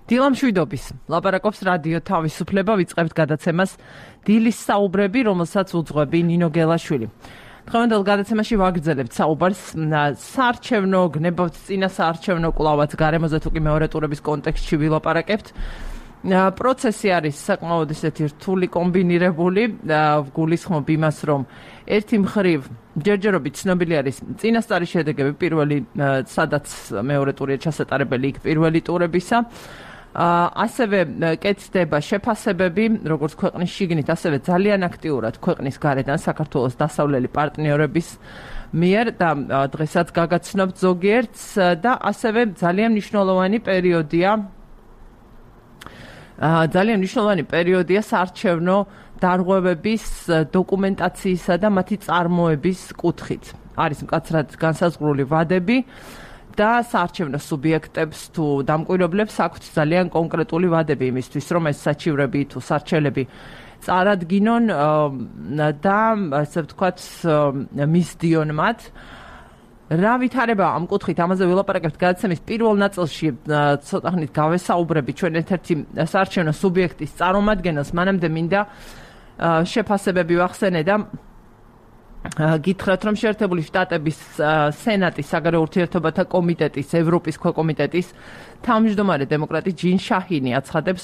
დილამშვიდობის ლაპარაკობს რადიო თავისუფლება ვიწყებთ გადაცემას დილის საუბრები, რომელსაც უძღვები ნინო გელაშვილი. დღევანდელ გადაცემაში ვაგრძელებთ საუბარს საარჩევნო გნებავთ წინა საარჩევნო კვლავაც გარემოზე თუ კი მეორე ტურების კონტექსტში ვილაპარაკებთ. პროცესი არის საკმაოდ ისეთი რთული კომბინირებული, გულისხმობ იმას, რომ ერთი მხრივ ჯერჯერობით ცნობილი არის წინასწარი შედეგები პირველი, სადაც მეორე ტურია ჩასატარებელი იქ პირველი ტურებისა. ასევე კეთდება შეფასებები, როგორც ქვეყნის შიგნით, ასევე ძალიან აქტიურად ქვეყნის გარედან საქართველოს დასავლელი პარტნიორების მიერ და დღესაც გაგაცნობთ ზოგიერთს და ასევე ძალიან მნიშვნელოვანი პერიოდია საარჩევნო დარღვევების დოკუმენტაციისა და მათი წარმოების კუთხით. არის მკაცრად განსაზღვრული ვადები და საარჩევნო სუბიექტებს თუ დამკვირვებლებს აქვთ ძალიან კონკრეტული ვადები იმისთვის, რომ ეს საჩივრები თუ სარჩელები წარადგინონ და ასე ვთქვათ მისდიონ მათ. რა ვითარება ამ კუთხით, ამაზე ვილაპარაკებთ გადაცემის პირველ ნაწილში, ცოტა ხნით გავესაუბრები ჩვენ ერთ-ერთი საარჩევნო სუბიექტის წარმომადგენელს, მანამდე მინდა შეფასებები ვახსენე და გითხრათ, რომ შეერთებული შტატების სენატის საგარეო ურთიერთობათა კომიტეტის, ევროპის ქვეკომიტეტის თავმჯდომარე დემოკრატი ჯინ შაჰინი აცხადებს,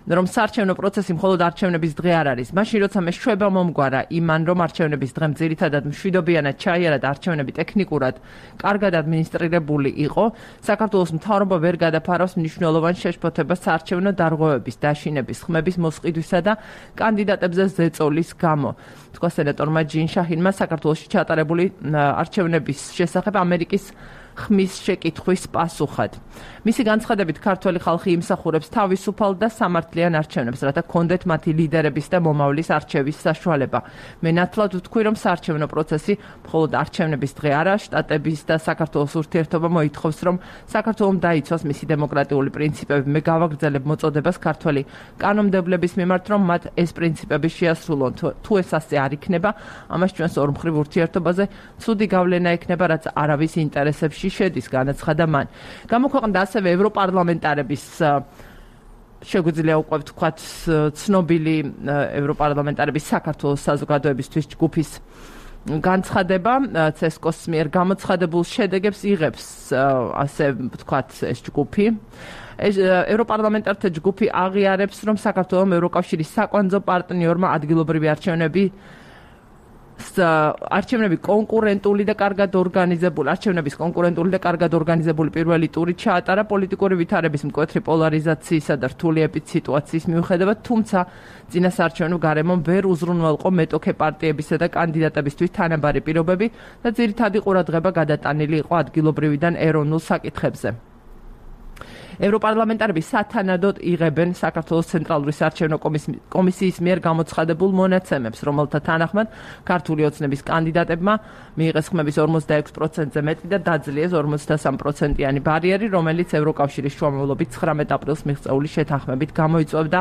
რომ საარჩევნო პროცესი მხოლოდ არჩევნების დღე არ არის. მაშინ როცა მეშვეობა მომგვარა იმან, რომ არჩევნების დღე ძირითადად მშვიდობიანად ჩაიარა და არჩევნები ტექნიკურად კარგად ადმინისტრირებული იყო, საქართველოს მთავრობა ვერ გადაფარავს მნიშვნელოვან შეშფოთებას საარჩევნო დარღვევების, დაშინების, ხმების მოსყიდვისა და კანდიდატებზე ზეწოლის გამო. თქვა სენატორმა ჯინ შაჰინმა საქართველოში ჩატარებული არჩევნების შესახებ ამერიკის ხმის შეკითხვის პასუხად. მისი განცხადებით ქართველი ხალხი იმსახურებს თავისუფალ და სამართლიან არჩევნებს, რათა კონდეთ მათი ლიდერების და მომავლის არჩევის საშუალება. მე ნათლად ვთქვი, რომ საარჩევნო პროცესი მხოლოდ არჩევნების დღე არა, შტატების და საქართველოს ურთიერთობა მოითხოვს, რომ საქართველოს დაიცვას მისი დემოკრატიული პრინციპები. მე გავაგრძელებ მოწოდებას ქართველი კანონმდებლების მიმართ, რომ მათ ეს პრინციპები შეასრულონ. თუ ეს ასე არ იქნება, ამას ჩვენს ორმხრივ ურთიერთობაზე ცუდი გავლენა ექნება, რაც არავის ინტერესებში შედის, განაცხადა მან. გამოქვეყნდა ასევე ევროპარლამენტარების შეგვიძლია უკვე ვთქვათ ცნობილი ევროპარლამენტარების საქართველოს საზოგადოებისთვის ჯგუფის განცხადება, ცესკოს მიერ გამოცხადებულ შედეგებს იღებს, ასე ვთქვათ, ეს ჯგუფი. ევროპარლამენტართა ჯგუფი აღიარებს, რომ საქართველოს ევროკავშირის საკვანძო პარტნიორმა ადგილობრივი არჩევნების კონკურენტული და კარგად ორგანიზებული პირველი ტური ჩაატარა პოლიტიკური ვითარების მკვეთრი პოლარიზაციისა და რთული ეპიდსიტუაციის მიუხედავად, თუმცა წინა საარჩევნო გარემომ ვერ უზრუნველყო მეტოქე პარტიებისა და კანდიდატებისთვის თანაბარი პირობები და ძირითადი ყურადღება გადატანილი იყო ადგილობრივიდან ეროვნულ საკითხებზე. ევროპარლამენტარები სათანადოდ იღებენ საქართველოს ცენტრალური საარჩევნო კომისიის მიერ გამოცხადებულ მონაცემებს, რომელთა თანახმად ქართული ოცნების კანდიდატებმა მიიღეს ხმების 46%-ზე მეტი და დაძლიეს 53%-იანი ბარიერი, რომელიც ევროკავშირის შუამავლობით 19 აპრილს მიღწეული შეთანხმებით გამოიწვევდა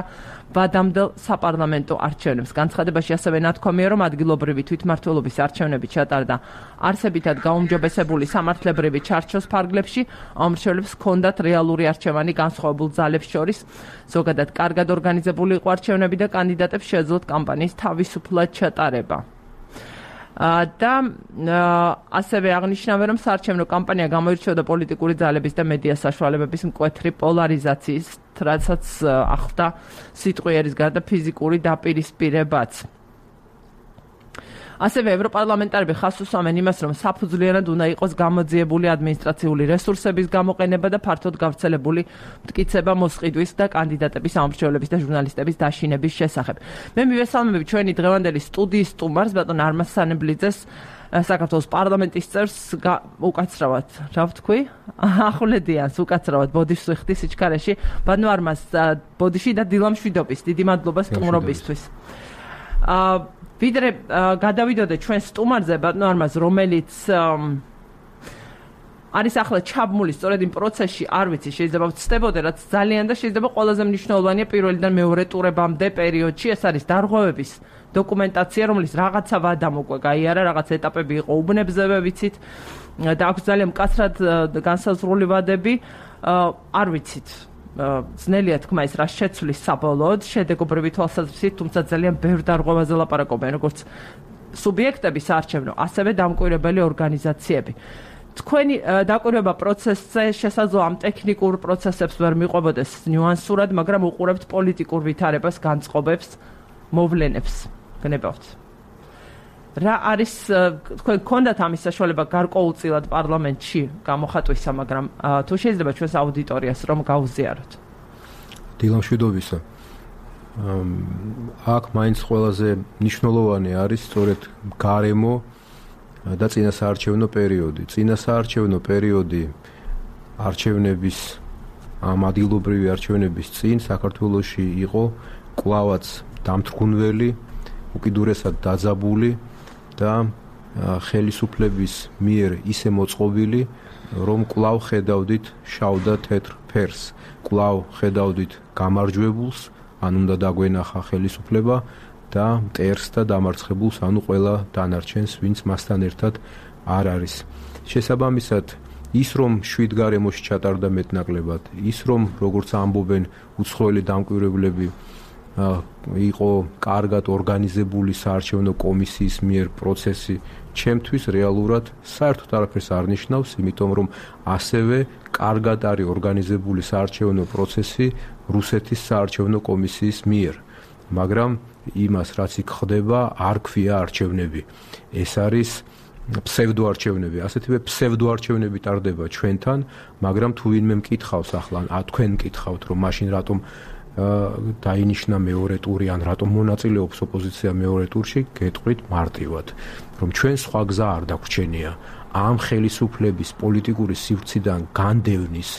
ვადამდელ საპარლამენტო არჩევნებს. განცხადებაში ასევე ნათქვამია, რომ ადგილობრივი თვითმმართველობის არჩევნები ჩატარდა არსებითად გაუმჯობესებული სამართლებრივი ჩარჩოს ფარგლებში, ამრჩევლებს ჰქონდათ რეალური არჩევანი განსხვავებულ ძალებს შორის, ზოგადად კარგად ორგანიზებული იყო არჩევნები და კანდიდატებს შეეძლოთ კამპანიის თავისუფლად ჩატარება. და ასევე აღნიშნავენ, რომ საარჩევნო კამპანია გამოირჩეოდა პოლიტიკური ძალების და მედია საშუალებების მკვეთრი პოლარიზაციის, რასაც ახლდა სიტყვიერის გარდა ფიზიკური დაპირისპირებაც. ასევე ევროპარლამენტარები ხაზს უსვამენ იმას, რომ საფუძვლიანად უნდა იყოს გამოძიებული ადმინისტრაციული რესურსების გამოყენება და ფართოდ გავრცელებული მტკიცება მოსყიდვის და კანდიდატების ამრჩევლების და ჟურნალისტების დაშინების შესახებ. მე მივესალმები ჩვენი დღევანდელი სტუდიის სტუმარს, ბატონ არმაზ სანებლიძეს, საქართველოს პარლამენტის წევრს, უკაცრავად, რა ვთქვი? ახვლედიანს უკაცრავად ბოდიშს ვიხდი სიჩქარეში. ბატონ არმაზ, ბოდიში და დილამშვიდობის, დიდი მადლობა სტუმრობისთვის. ვიდრე გადავიდოდე ჩვენ სტუმარზე, ბატონ არმაზ, რომელიც არის ახლა ჩაბმული სწორედ იმ პროცესში, არ ვიცი, შეიძლება ვცდებოდე, რაც ძალიან და შეიძლება ყველაზე მნიშვნელოვანია პირველიდან მეორე ტურებამდე პერიოდში, ეს არის დარღვევების დოკუმენტაცია, რომელიც რაღაცა ვადამ უკვე გაიარა, რაღაც ეტაპები იყო უბნებზევე, ვიცით, და აქვს ძალიან მკაცრად განსაზღვრული ვადები, არ ვიცით. ძნელია თქმა ის რა შეცვლის საბოლოოდ შედეგობრივი თვალსაზრისით, თუმცა ძალიან ბევრ დარღვევაზე ლაპარაკობენ, როგორც სუბიექტები საარჩევნო, ასევე დამკვირვებელი ორგანიზაციები. თქვენი დაკვირვება პროცესზე შესაძლოა ამ ტექნიკურ პროცესებს ვერ მიყვებოდეს ნიუანსურად, მაგრამ უყურებთ პოლიტიკურ ვითარებას, განწყობებს, მოვლენებს. გნებავთ. რა არის თქვენ გქონდათ ამის საშუალება გარკვეულწილად პარლამენტში გამოხატვისა, მაგრამ თუ შეიძლება ჩვენს აუდიტორიას რომ გაუზიაროთ. დილამშვიდობისა. აქ მაინც ყველაზე მნიშვნელოვანი არის სწორედ გარემო და წინასაარჩევნო პერიოდი. წინასაარჩევნო პერიოდი არჩევნების ამ ადგილობრივი არჩევნების წინ საქართველოში იყო კვლავაც დამთრგუნველი, უკიდურესად დაძაბული და ხელისუფლების მიერ ისე მოწყობილი, რომ კვლავ ხედავდით შავ და თეთრ ფერს, კვლავ ხედავდით გამარჯვებულს, ან უნდა დაგვენახა ხელისუფლება და მტერს და დამარცხებულს, ანუ ყველა დანარჩენს, ვინც მასთან ერთად არ არის. შესაბამისად, ის რომ შვიდ გარემოში ჩატარდა მეტნაკლებად, ის რომ როგორც ამბობენ უცხოელი დამკვირვებლები იყო კარგად ორგანიზებული საარჩევნო კომისიის მიერ პროცესი, ჩემთვის რეალურად საერთოდ არაფერს არ ნიშნავს, იმიტომ რომ ასევე კარგად არის ორგანიზებული საარჩევნო პროცესი რუსეთის საარჩევნო კომისიის მიერ. მაგრამ იმას, რაც იქ ხდება, არ ქვია არჩევნები. ეს არის ფსევდოარჩევნები, ასეთივე ფსევდოარჩევნები ტარდება ჩვენთან, მაგრამ თუ ვინმე მკითხავს ახლა, თქვენ მკითხავთ, რომ მაშინ რატომ დაინიშნა მეორე ტური, ან რატომ მონაწილეობს ოპოზიცია მეორე ტურში, გეტყვით მარტივად, რომ ჩვენ სხვა გზა არ დაგვჩენია. ამ ხელისუფლების პოლიტიკური სივრციდან განდევნის,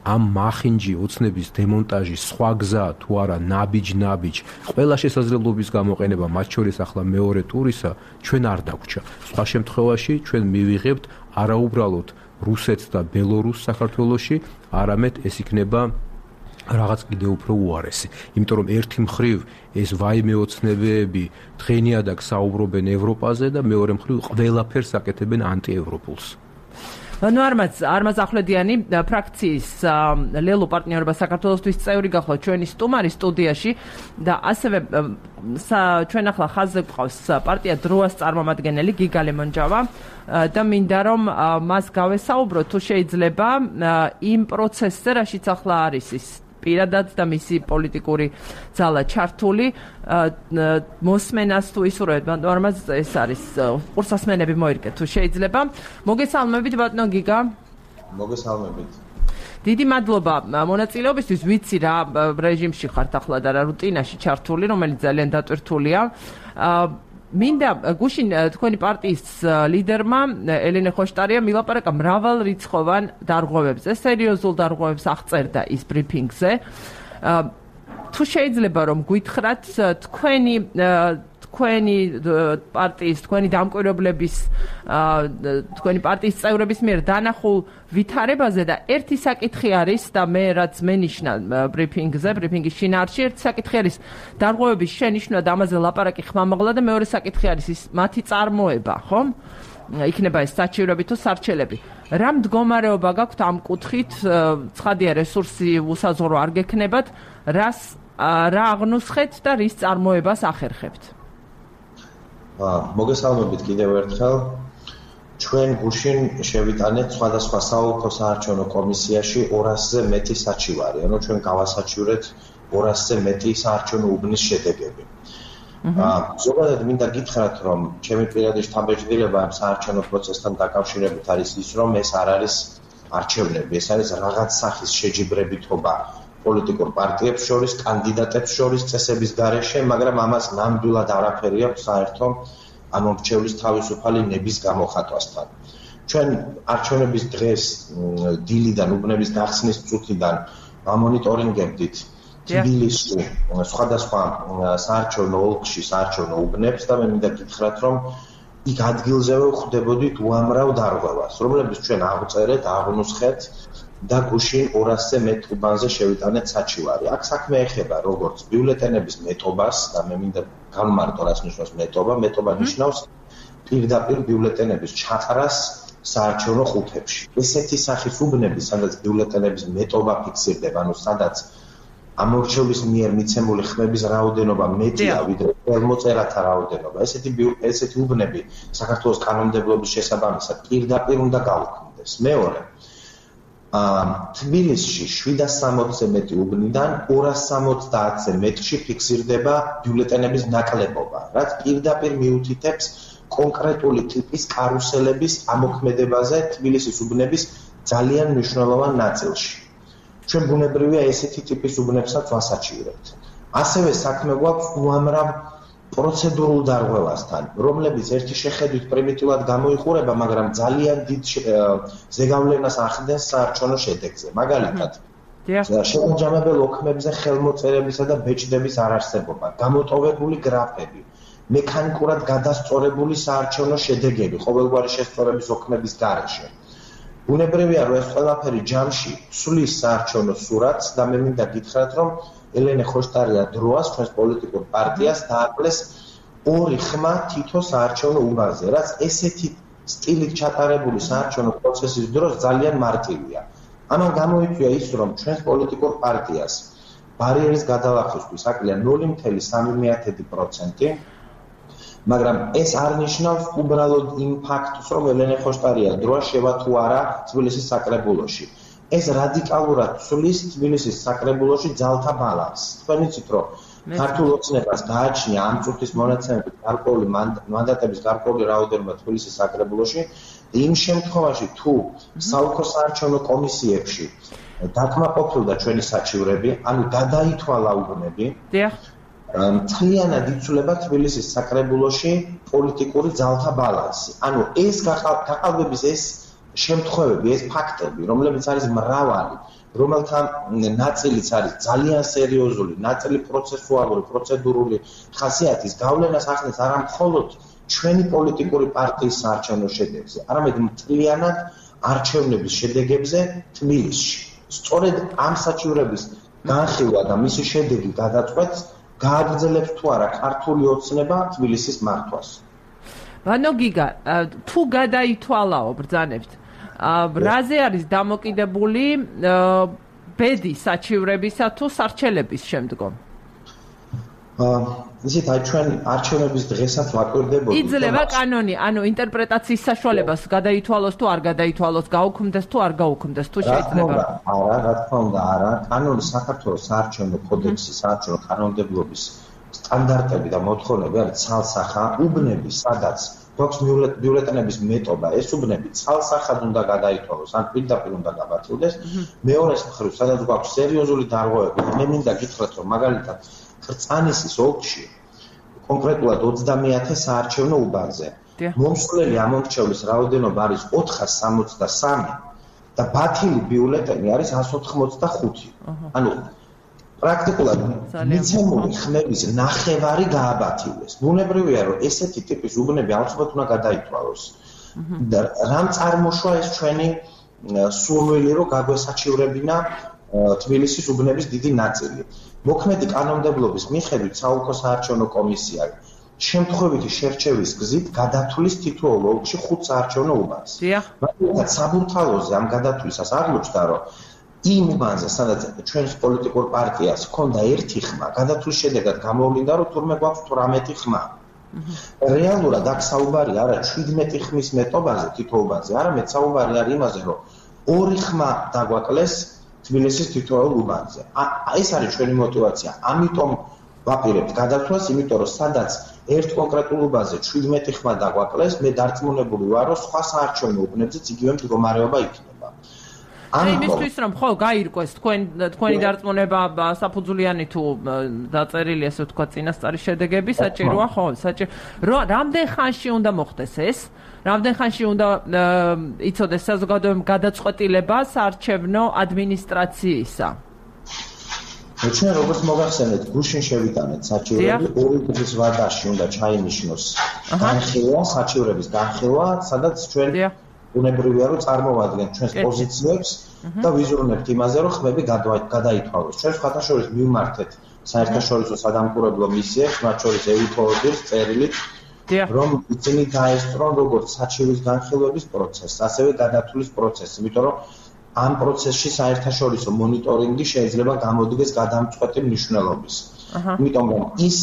ამ მახინჯი ოცნების დემონტაჟის სხვა გზა თუ არა ნაბიჯ, ყველა შესაძლებლობის გამოყენება, მათ შორის ახლა მეორე ტურისა, ჩვენ არ დაგვჭა. სხვა შემთხვევაში ჩვენ მივიღებთ არაუბრალოდ რუსეთს და ბელორუსს საქართველოში, არამედ ეს იქნება რაღაც კიდევ უფრო უარესი. იმიტომ რომ ერთი მხრივ ეს ვაიმე ოცნებები დღენიადაგ საუბრობენ ევროპაზე და მეორე მხრივ ყველაფერს აკეთებენ ანტიევროპულს. ნუ არმაზ ახვლედიანი ფრაქციის ლელო პარტნიორობა საქართველოსთვის წევრი გახლა ჩვენი სტუმარი სტუდიაში და ასევე ჩვენ ახლა ხაზზე გვყავს პარტია დროას წარმომადგენელი გიგა ლემონჯავა და მინდა რომ მას გავესაუბროთ თუ შეიძლება იმ პროცესზე, რაშიც ახლა არის ის პირადად და მისი პოლიტიკური ძალა ჩართული მოსმენას თუ ისურვებთ არმაზ ეს არის ყურსასმენები მოირგეთ თუ შეიძლება. მოგესალმებით ბატონო გიგა. მოგესალმებით. დიდი მადლობა მონაწილეობისთვის. ვიცი რა რეჟიმში ხართ ახლა და რა რუტინაში ჩართული, რომელიც ძალიან დატვირთულია. მინდა გუშინ თქვენი პარტიის ლიდერმა ელენე ხოშტარია მილაპარაკა მრავალ რიცხოვან დარღვევებზე, სერიოზულ დარღვევებს აღწერდა ის ბრიფინგზე. თუ შეიძლება რომ გითხრათ თქვენი პარტიის, თქვენი დამკვირვებლების, თქვენი პარტიის წევრების მიერ დანახულ ვითარებაზე და ერთი საკითხი არის და მე რაც მენიშნა ბრიფინგის შინაარსში, ერთი საკითხი არის დარღვევების შენიშვნა და ამაზე ლაპარაკი ხმამაღლა და მეორე საკითხი არის ის მათი წარმოება, ხო? იქნება ეს საჩივრები თუ სარჩელები. რა მდგომარეობა გაქვთ ამ კუთხით? ცხადია რესურსი უსაზღვრო არ გექნებათ, რა აღნუსხეთ და რის წარმოებას ახერხებთ? მოგესალმებით კიდევ ერთხელ. ჩვენ გუშინ შევიტანეთ სხვადასხვა საოლქო საარჩევნო კომისიაში 200-ზე მეტი საჩივარი, ანუ ჩვენ გავასაჩივრეთ 200-ზე მეტი საარჩევნო უბნის შედეგები. ზოგადად მინდა გითხრათ, რომ ჩემი პირადი შთაბეჭდილება ამ საარჩევნო პროცესთან დაკავშირებით არის ის, რომ ეს არ არის არჩევნები, ეს არის რაღაც სახის შეჯიბრებითობა პოლიტიკურ პარტიებს შორის, კანდიდატებს შორის წესების გარეშე, მაგრამ ამას ნამდვილად არაფერი აქვს საერთო ამ მრჩევლის თავისუფალი ნების გამოხატვასთან. ჩვენ არჩევნების დღეს დილიდან, უბნების გახსნის წუთიდან ამონიტორინგებდით თბილისში სხვადასხვა საარჩევნო ოლქში საარჩევნო უბნებს და მე მინდა გითხრათ, რომ იქ ადგილზევე ხვდებოდით უამრავ დარღვევას, რომლებიც ჩვენ აღწერეთ, აღნუსხეთ და გუშინ 200-ზე მეტ უბანზე შევიტანეთ საჩივარი. აქ საქმე ეხება როგორც ბიულეტენების მეტობას და მე მინდა განვმარტო რას ნიშნავს მეტობა. მეტობა ნიშნავს პირდაპირ ბიულეტენების ჩაყრას საარჩევნო ხუთებში. ესეთი სახის უბნები, სადაც ბიულეტენების მეტობა ფიქსირდება, ანუ სადაც ამორჩეულის მიერ მიცემული ხმების რაოდენობა მეტია ვიდრე ხელმოწერათა რაოდენობა. ესეთი უბნები საქართველოს კანონმდებლობის შესაბამისად პირდაპირ უნდა გაუქმდეს. მეორე, თბილისში 760-ზე მეტი უბნიდან 270-ზე მეტში ფიქსირდება ბიულეტენების ნაკლებობა, რაც პირდაპირ მიუთითებს კონკრეტული ტიპის კარუსელების ამოქმედებაზე თბილისის უბნების ძალიან მნიშვნელოვან ნაწილში. ჩვენ ბუნებრივია ესეთი ტიპის უბნებსაც ვასაჩივრებთ. ასევე საქმე გვაქვს უამრავ პროცედურულ დარღვევასთან, რომლებიც ერთი შეხედვით პრიმიტიულად გამოიყურება, მაგრამ ძალიან დიდ ზეგავლენას ახდენს საარჩევნო შედეგზე. მაგალითად, შემაჯამებელ ოქმებზე ხელმოწერებისა და ბეჭდების არარსებობა, გამოტოვებული გრაფები, მექანიკურად გადასწორებული საარჩევნო შედეგები ყოველგვარი შესწორების ოქმების გარეშე. ბუნებრივია, რომ ეს ყველაფერი ჯამში ცვლის საარჩევნო სურათს და მე მინდა გითხრათ, რომ ელენე ხოშტარია დროას ჩვენს პოლიტიკურ პარტიას დააკლეს 2 ხმა თითო საარჩევნო უბანზე, რაც ესეთი სტილით ჩატარებული საარჩევნო პროცესის დროს ძალიან მარტივია. ამან გამოიწვია ის, რომ ჩვენს პოლიტიკურ პარტიას ბარიერის გადალახვისთვის აკლია 0.3%, მაგრამ ეს არ ნიშნავს უბრალოდ იმ ფაქტს, რომ ელენე ხოშტარია დროა შევა თუ არა თბილისის საკრებულოში. ეს რადიკალურად ცვლის თბილისის საკრებულოში ძალთა ბალანსს. თქვენ იცით, რომ ქართულ ოცნებას გააჩნია ამ წუთის მონაცემებით გარკვეული მანდატების გარკვეული რაოდენობა თბილისის საკრებულოში. იმ შემთხვევაში, თუ საოლქო საარჩევნო კომისიებში დაკმაყოფილდა ჩვენი საჩივრები, ანუ გადაითვალა უბნები, მთლიანად იცვლება თბილისის საკრებულოში პოლიტიკური ძალთა ბალანსი. ანუ ეს გაყალბების ეს შემთხვევები, ეს ფაქტები, რომლებიც არის მრავალი, რომელთა ნაწილიც არის ძალიან სერიოზული, ნაწილი პროცესუალური, პროცედურული ხასიათის, გავლენას ახდენს არა მხოლოდ ჩვენი პოლიტიკური პარტიის საარჩევნო შედეგებზე, არამედ მთლიანად არჩევნების შედეგებზე თბილისში. სწორედ ამ საჩივრების განხილვა და მისი შედეგი გადაწყვეტს, გააგრძელებს თუ არა ქართული ოცნება თბილისის მართვას. ბანო გიგა, თუ გადაითვალაო ბრძანებთ, რაზე არის დამოკიდებული ბედი საჩივრებისა თუ სარჩელების შემდგომ? ისეთ აი ჩვენ არჩევნების დღესაც ვაკვირდებოდი. იძლევა კანონი, ანუ ინტერპრეტაციის საშუალებას გადაითვალოს თუ არ გადაითვალოს, გაუქმდეს თუ არ გაუქმდეს, თუ შეიძლება? არა, რა თქმა უნდა, არა. კანონი საქართველოს საარჩევნო კოდექსის, საარჩევნო კანონმდებლობის სტანდარტები და მოთხოვნები არის ცალსახა უბნები, სადაც გვაქვს ბიულეტენების მეტობა, ეს უბნები ცალსახად უნდა გადაითვალოს, ან პირდაპირ უნდა გაბათილდეს. მეორეს მხრივ, სადაც გვაქვს სერიოზული დარღვევები, მე მინდა გითხრათ, რომ მაგალითად ხრწანისის ოლქში კონკრეტულად 30 საარჩევნო უბანზე მომსვლელი ამორჩევლის რაოდენობა არის 463 და ბათილი ბიულეტენი არის 185. ანუ პრაქტიკულად მიცემული ხმების ნახევარი გააბათილეს. ბუნებრივია, რომ ესეთი ტიპის უბნები აუცილებლად უნდა გადაითვალოს. და რამ წარმოშვა ეს ჩვენი სურვილი, რომ გაგვესაჩივრებინა თბილისის უბნების დიდი ნაწილი. მოქმედი კანონმდებლობის მიხედვით საოლქო საარჩევნო კომისია შემთხვევითი შერჩევის გზით გადათვლის თითოეულ ოლქში 5 საარჩევნო უბანს. მაგალითად, საბურთალოზე ამ გადათვლისას აღმოჩნდა, რომ იმ უბანზე, სადაც ჩვენს პოლიტიკურ პარტიას ჰქონდა 1 ხმა, გადათვლის შედეგად გამოვლინდა, რომ თურმე გვაქვს 18 ხმა. რეალურად აქ საუბარი არა 17 ხმის მეტობაზე თითო უბანზე, არამედ საუბარი არის იმაზე, რომ 2 ხმა დაგვაკლეს თბილისის თითოეულ უბანზე. ეს არის ჩვენი мотиваცია. ამიტომ ვაპირებთ გადათვლას, იმიტომ რომ სადაც ერთ კონკრეტულ უბანზე 17 ხმა დაგვაკლეს, მე დარწმუნებული ვარ, რომ სხვა საარჩევნო უბნებზეც იგივე მდგომარეობა იქნება. იმისთვის რომ ხო გაირკვეს თქვენი დარწმუნება საფუძვლიანი თუ დაწერილი ესე ვთქვა წინასწარი შედეგები საჭიროა ხო? რამდენ ხანში უნდა მოხდეს ეს? რამდენ ხანში უნდა იცოდეს საზოგადოებამ გადაწყვეტილება საარჩევნო ადმინისტრაციისა? ჩვენ როგორც მოგახსენეთ, გუშინ შევიტანეთ საჩივრები, 2 დღის ვადაში უნდა ჩაინიშნოს განხილვა, საჩივრების განხილვა, სადაც ჩვენ ბუნებრივია, რომ წარმოვადგენთ ჩვენს პოზიციებს და ვიზრუნებთ იმაზე, რომ ხმები გადაითვალოს. ჩვენ სხვათაშორის მივმართეთ საერთაშორისო სადამკვირვებლო მისიებს, მათ შორის ეუთოობის წერილით რომ ისინი დაესწრონ როგორც საჩივის განხილვების პროცესს, ასევე გადათვლის პროცესს, იმიტომ რომ ამ პროცესში საერთაშორისო მონიტორინგი შეიძლება გამოდგეს გადამწყვეტი მნიშვნელობის. იმიტომ რომ ის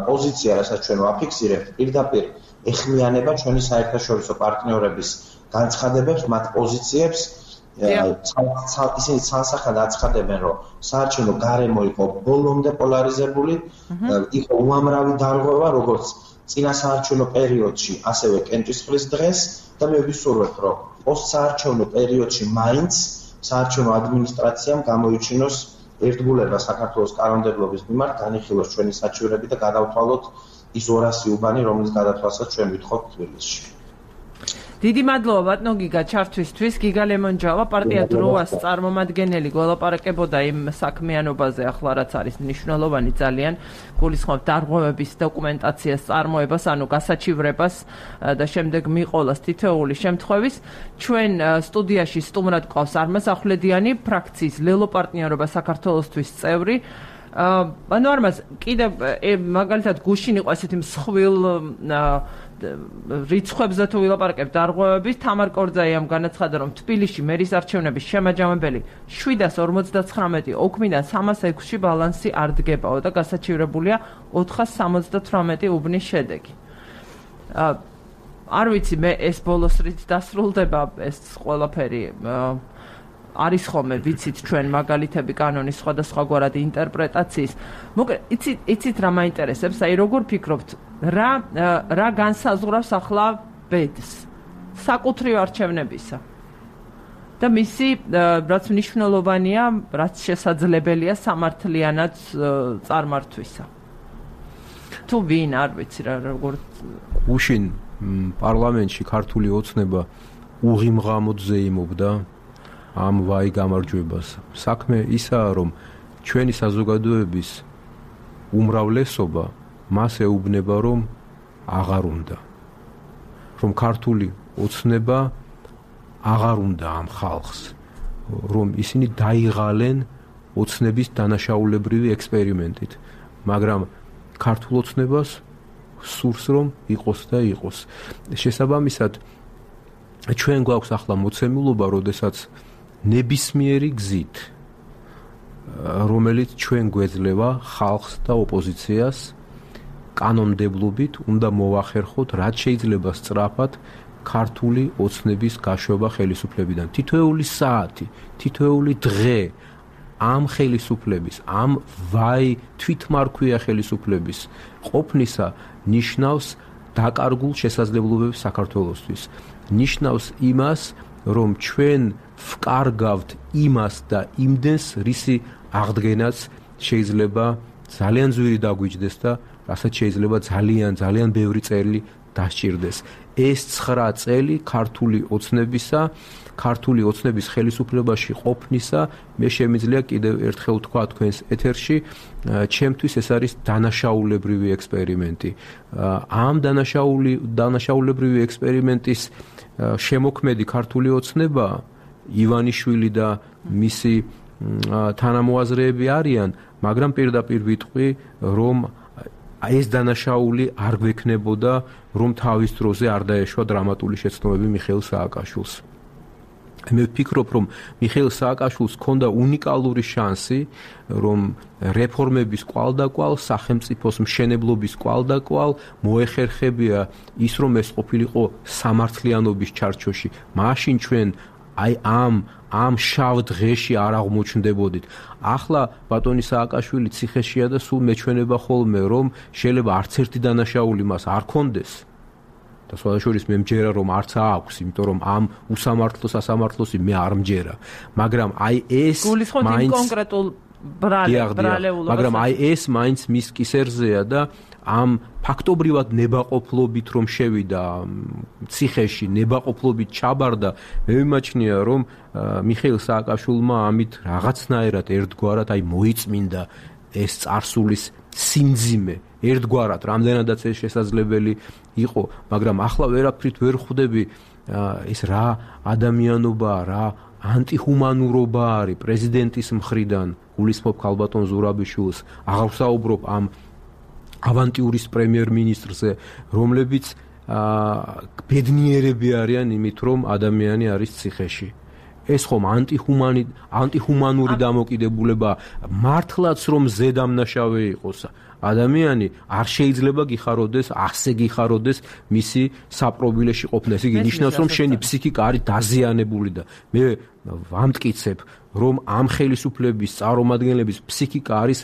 პოზიცია, რასაც ჩვენ ვაფიქსირებთ, პირდაპირ ეხმიანება ჩვენი საერთაშორისო პარტნიორების განცხადებებს, მათ პოზიციებს. ისინი ცალსახად აცხადებენ, რომ საარჩევნო გარემო იყო ბოლომდე პოლარიზებული, იყო უამრავი დარღვევა, როგორც წინა საარჩევნო პერიოდში, ასევე კენჭისყრის დღეს და მე ვისურვებ, რომ პოსტსაარჩევნო პერიოდში მაინც საარჩევნო ადმინისტრაციამ გამოიჩინოს ერთგულება საქართველოს კანონმდებლობის მიმართ, განიხილოს ჩვენი საჩივრები და გადავთვალოთ ის 200 უბანი, რომლის გადათვალსაც ჩვენ ვითხოვთ თბილისში. დიდი მადლობა ბატონო გიგა ჩართვისთვის. გიგა ლემონჯავა, პარტია დროას წარმომადგენელი, გველაპარაკებოდა იმ საქმიანობაზე, ახლა რაც არის მნიშვნელოვანი ძალიან, გულისხმობ დარღვევების დოკუმენტაციას წარმოებას, ანუ გასაჩივრებას და შემდეგ მიყოლას თითოეული შემთხვევის. ჩვენ სტუდიაში სტუმრად გვყავს არმაზ ახვლედიანი, ფრაქციის ლელო პარტნიორობა საქართველოსთვის წევრი. ანუ არმაზ კიდევ მაგალითად გუშინ იყო ესეთი მსხვილ რიცხვებზე თუ ვილაპარაკებთ დარღვევების, თამარ კორძაიამ განაცხადა, რომ თბილისში მერის არჩევნების შემაჯამებელი 759 ოქმიდან 306-ში ბალანსი არ დგებაო და გასაჩივრებულია 478 უბნის შედეგი. არ ვიცი მე ეს ბოლოს რით დასრულდება ეს ყველაფერი. არის ხოლმე ვიცით ჩვენ მაგალითები კანონის სხვადასხვაგვარად ინტერპრეტაციის. მოკლედ, იცით რა მაინტერესებს, აი როგორ ფიქრობთ, რა განსაზღვრავს ახლა ბედს საკუთრივ არჩევნებისა და მისი რაც მნიშვნელოვანია, რაც შესაძლებელია სამართლიანად წარმართვისა. თუ ვინ არ ვიცი რა როგორ უშინ პარლამენტში ქართული ოცნება უღიმღამოდ ზეიმობდა ამ ვაი გამარჯვებას. საქმე ისაა, რომ ჩვენი საზოგადოების უმრავლესობა მას ეუბნება, რომ აღარ უნდა. რომ ქართული ოცნება აღარ უნდა ამ ხალხს, რომ ისინი დაიღალენ ოცნების დანაშაულებრივი ექსპერიმენტით, მაგრამ ქართულ ოცნებას სურს რომ იყოს და იყოს. შესაბამისად, ჩვენ გვაქვს ახლა მოცემულობა, როდესაც ნებისმიერი გზით, რომელიც ჩვენ გვეძლევა ხალხს და ოპოზიციას კანონმდებლობით უნდა მოვახერხოთ, რაც შეიძლება სწრაფად ქართული ოცნების გაშვება ხელისუფლებიდან. თითოეული საათი, თითოეული დღე ამ ხელისუფლების, ამ ვაი თვითმარქვია ხელისუფლების ყოფნისა ნიშნავს დაკარგულ შესაძლებლობებს საქართველოსთვის. ნიშნავს იმას, რომ ჩვენ ვკარგავთ იმას და იმდენს, რისი აღდგენაც შეიძლება ძალიან ძვირი დაგვიჯდეს და რასაც შეიძლება ძალიან ბევრი წელი დასჭირდეს. ეს 9 წელი ქართული ოცნებისა, ქართული ოცნების ხელისუფლებაში ყოფნისა, მე შემიძლია კიდევ ერთხელ ვთქვა თქვენს ეთერში, ჩემთვის ეს არის დანაშაულებრივი ექსპერიმენტი. ამ დანაშაულებრივი ექსპერიმენტის შემოქმედი ქართული ოცნება, ივანიშვილი და მისი თანამოაზრეები არიან, მაგრამ პირდაპირ ვიტყვი, რომ ეს დანაშაული არ გვექნებოდა, რომ თავის დროზე არ დაეშვა დრამატული შეცდომები მიხეილ სააკაშვილს. მე ვფიქრობ, რომ მიხეილ სააკაშვილს ჰქონდა უნიკალური შანსი, რომ რეფორმების კვალდაკვალ, სახელმწიფოს მშენებლობის კვალდაკვალ მოეხერხებია ის, რომ ეს ყოფილიყო სამართლიანობის ჩარჩოში. მაშინ ჩვენ აი ამ შავ დღეში არ აღმოჩნდებოდით. ახლა ბატონი სააკაშვილი ციხეშია და სულ მეჩვენება ხოლმე, რომ შეიძლება არც ერთი დანაშაული მას არ კონდეს. და სხვადასხვა მე მჯერა, რომ არც აქვს, იმიტომ რომ ამ უსამართლოს ასამართლოსი მე არ მჯერა. მაგრამ აი ეს მაინც კონკრეტულ ბრალეულობას, მაგრამ აი ეს მაინც მის კისერზეა და ამ ფაქტობრივად ნებაყოფლობით რომ შევიდა ციხეში, ნებაყოფლობით ჩაბარდა, მე ვიმაჩნია, რომ მიხეილ სააკაშვილმა ამით რაღაცნაირად ერთგვარად აი მოიწმინდა ეს წარსულის სიმძიმე, ერთგვარად რამდენადაც ეს შესაძლებელი იყო, მაგრამ ახლა ვერაფრით ვერ ხვდები ეს რა ადამიანობაა, რა ანტიჰუმანურობა არის პრეზიდენტის მხრიდან, გულისხმობ ქალბატონ ზურაბიშვილს, აღარ ვსაუბრობ ამ ავანტიურის პრემიერ-მინისტრზე, რომლებიც ბედნიერები არიან იმით, რომ ადამიანი არის ციხეში. ეს ხომ ანტიჰუმანური დამოკიდებულება მართლაც რომ ზედამნაშავე იყოს. ადამიანი არ შეიძლება გიხაროდეს, ასე გიხაროდეს მისი საპრობილეში ყოფნა. ეს იგი ნიშნავს, რომ შენი ფსიქიკა არის დაზიანებული და მე ვამტკიცებ, რომ ამ ხელისუფლების წარმომადგენლების ფსიქიკა არის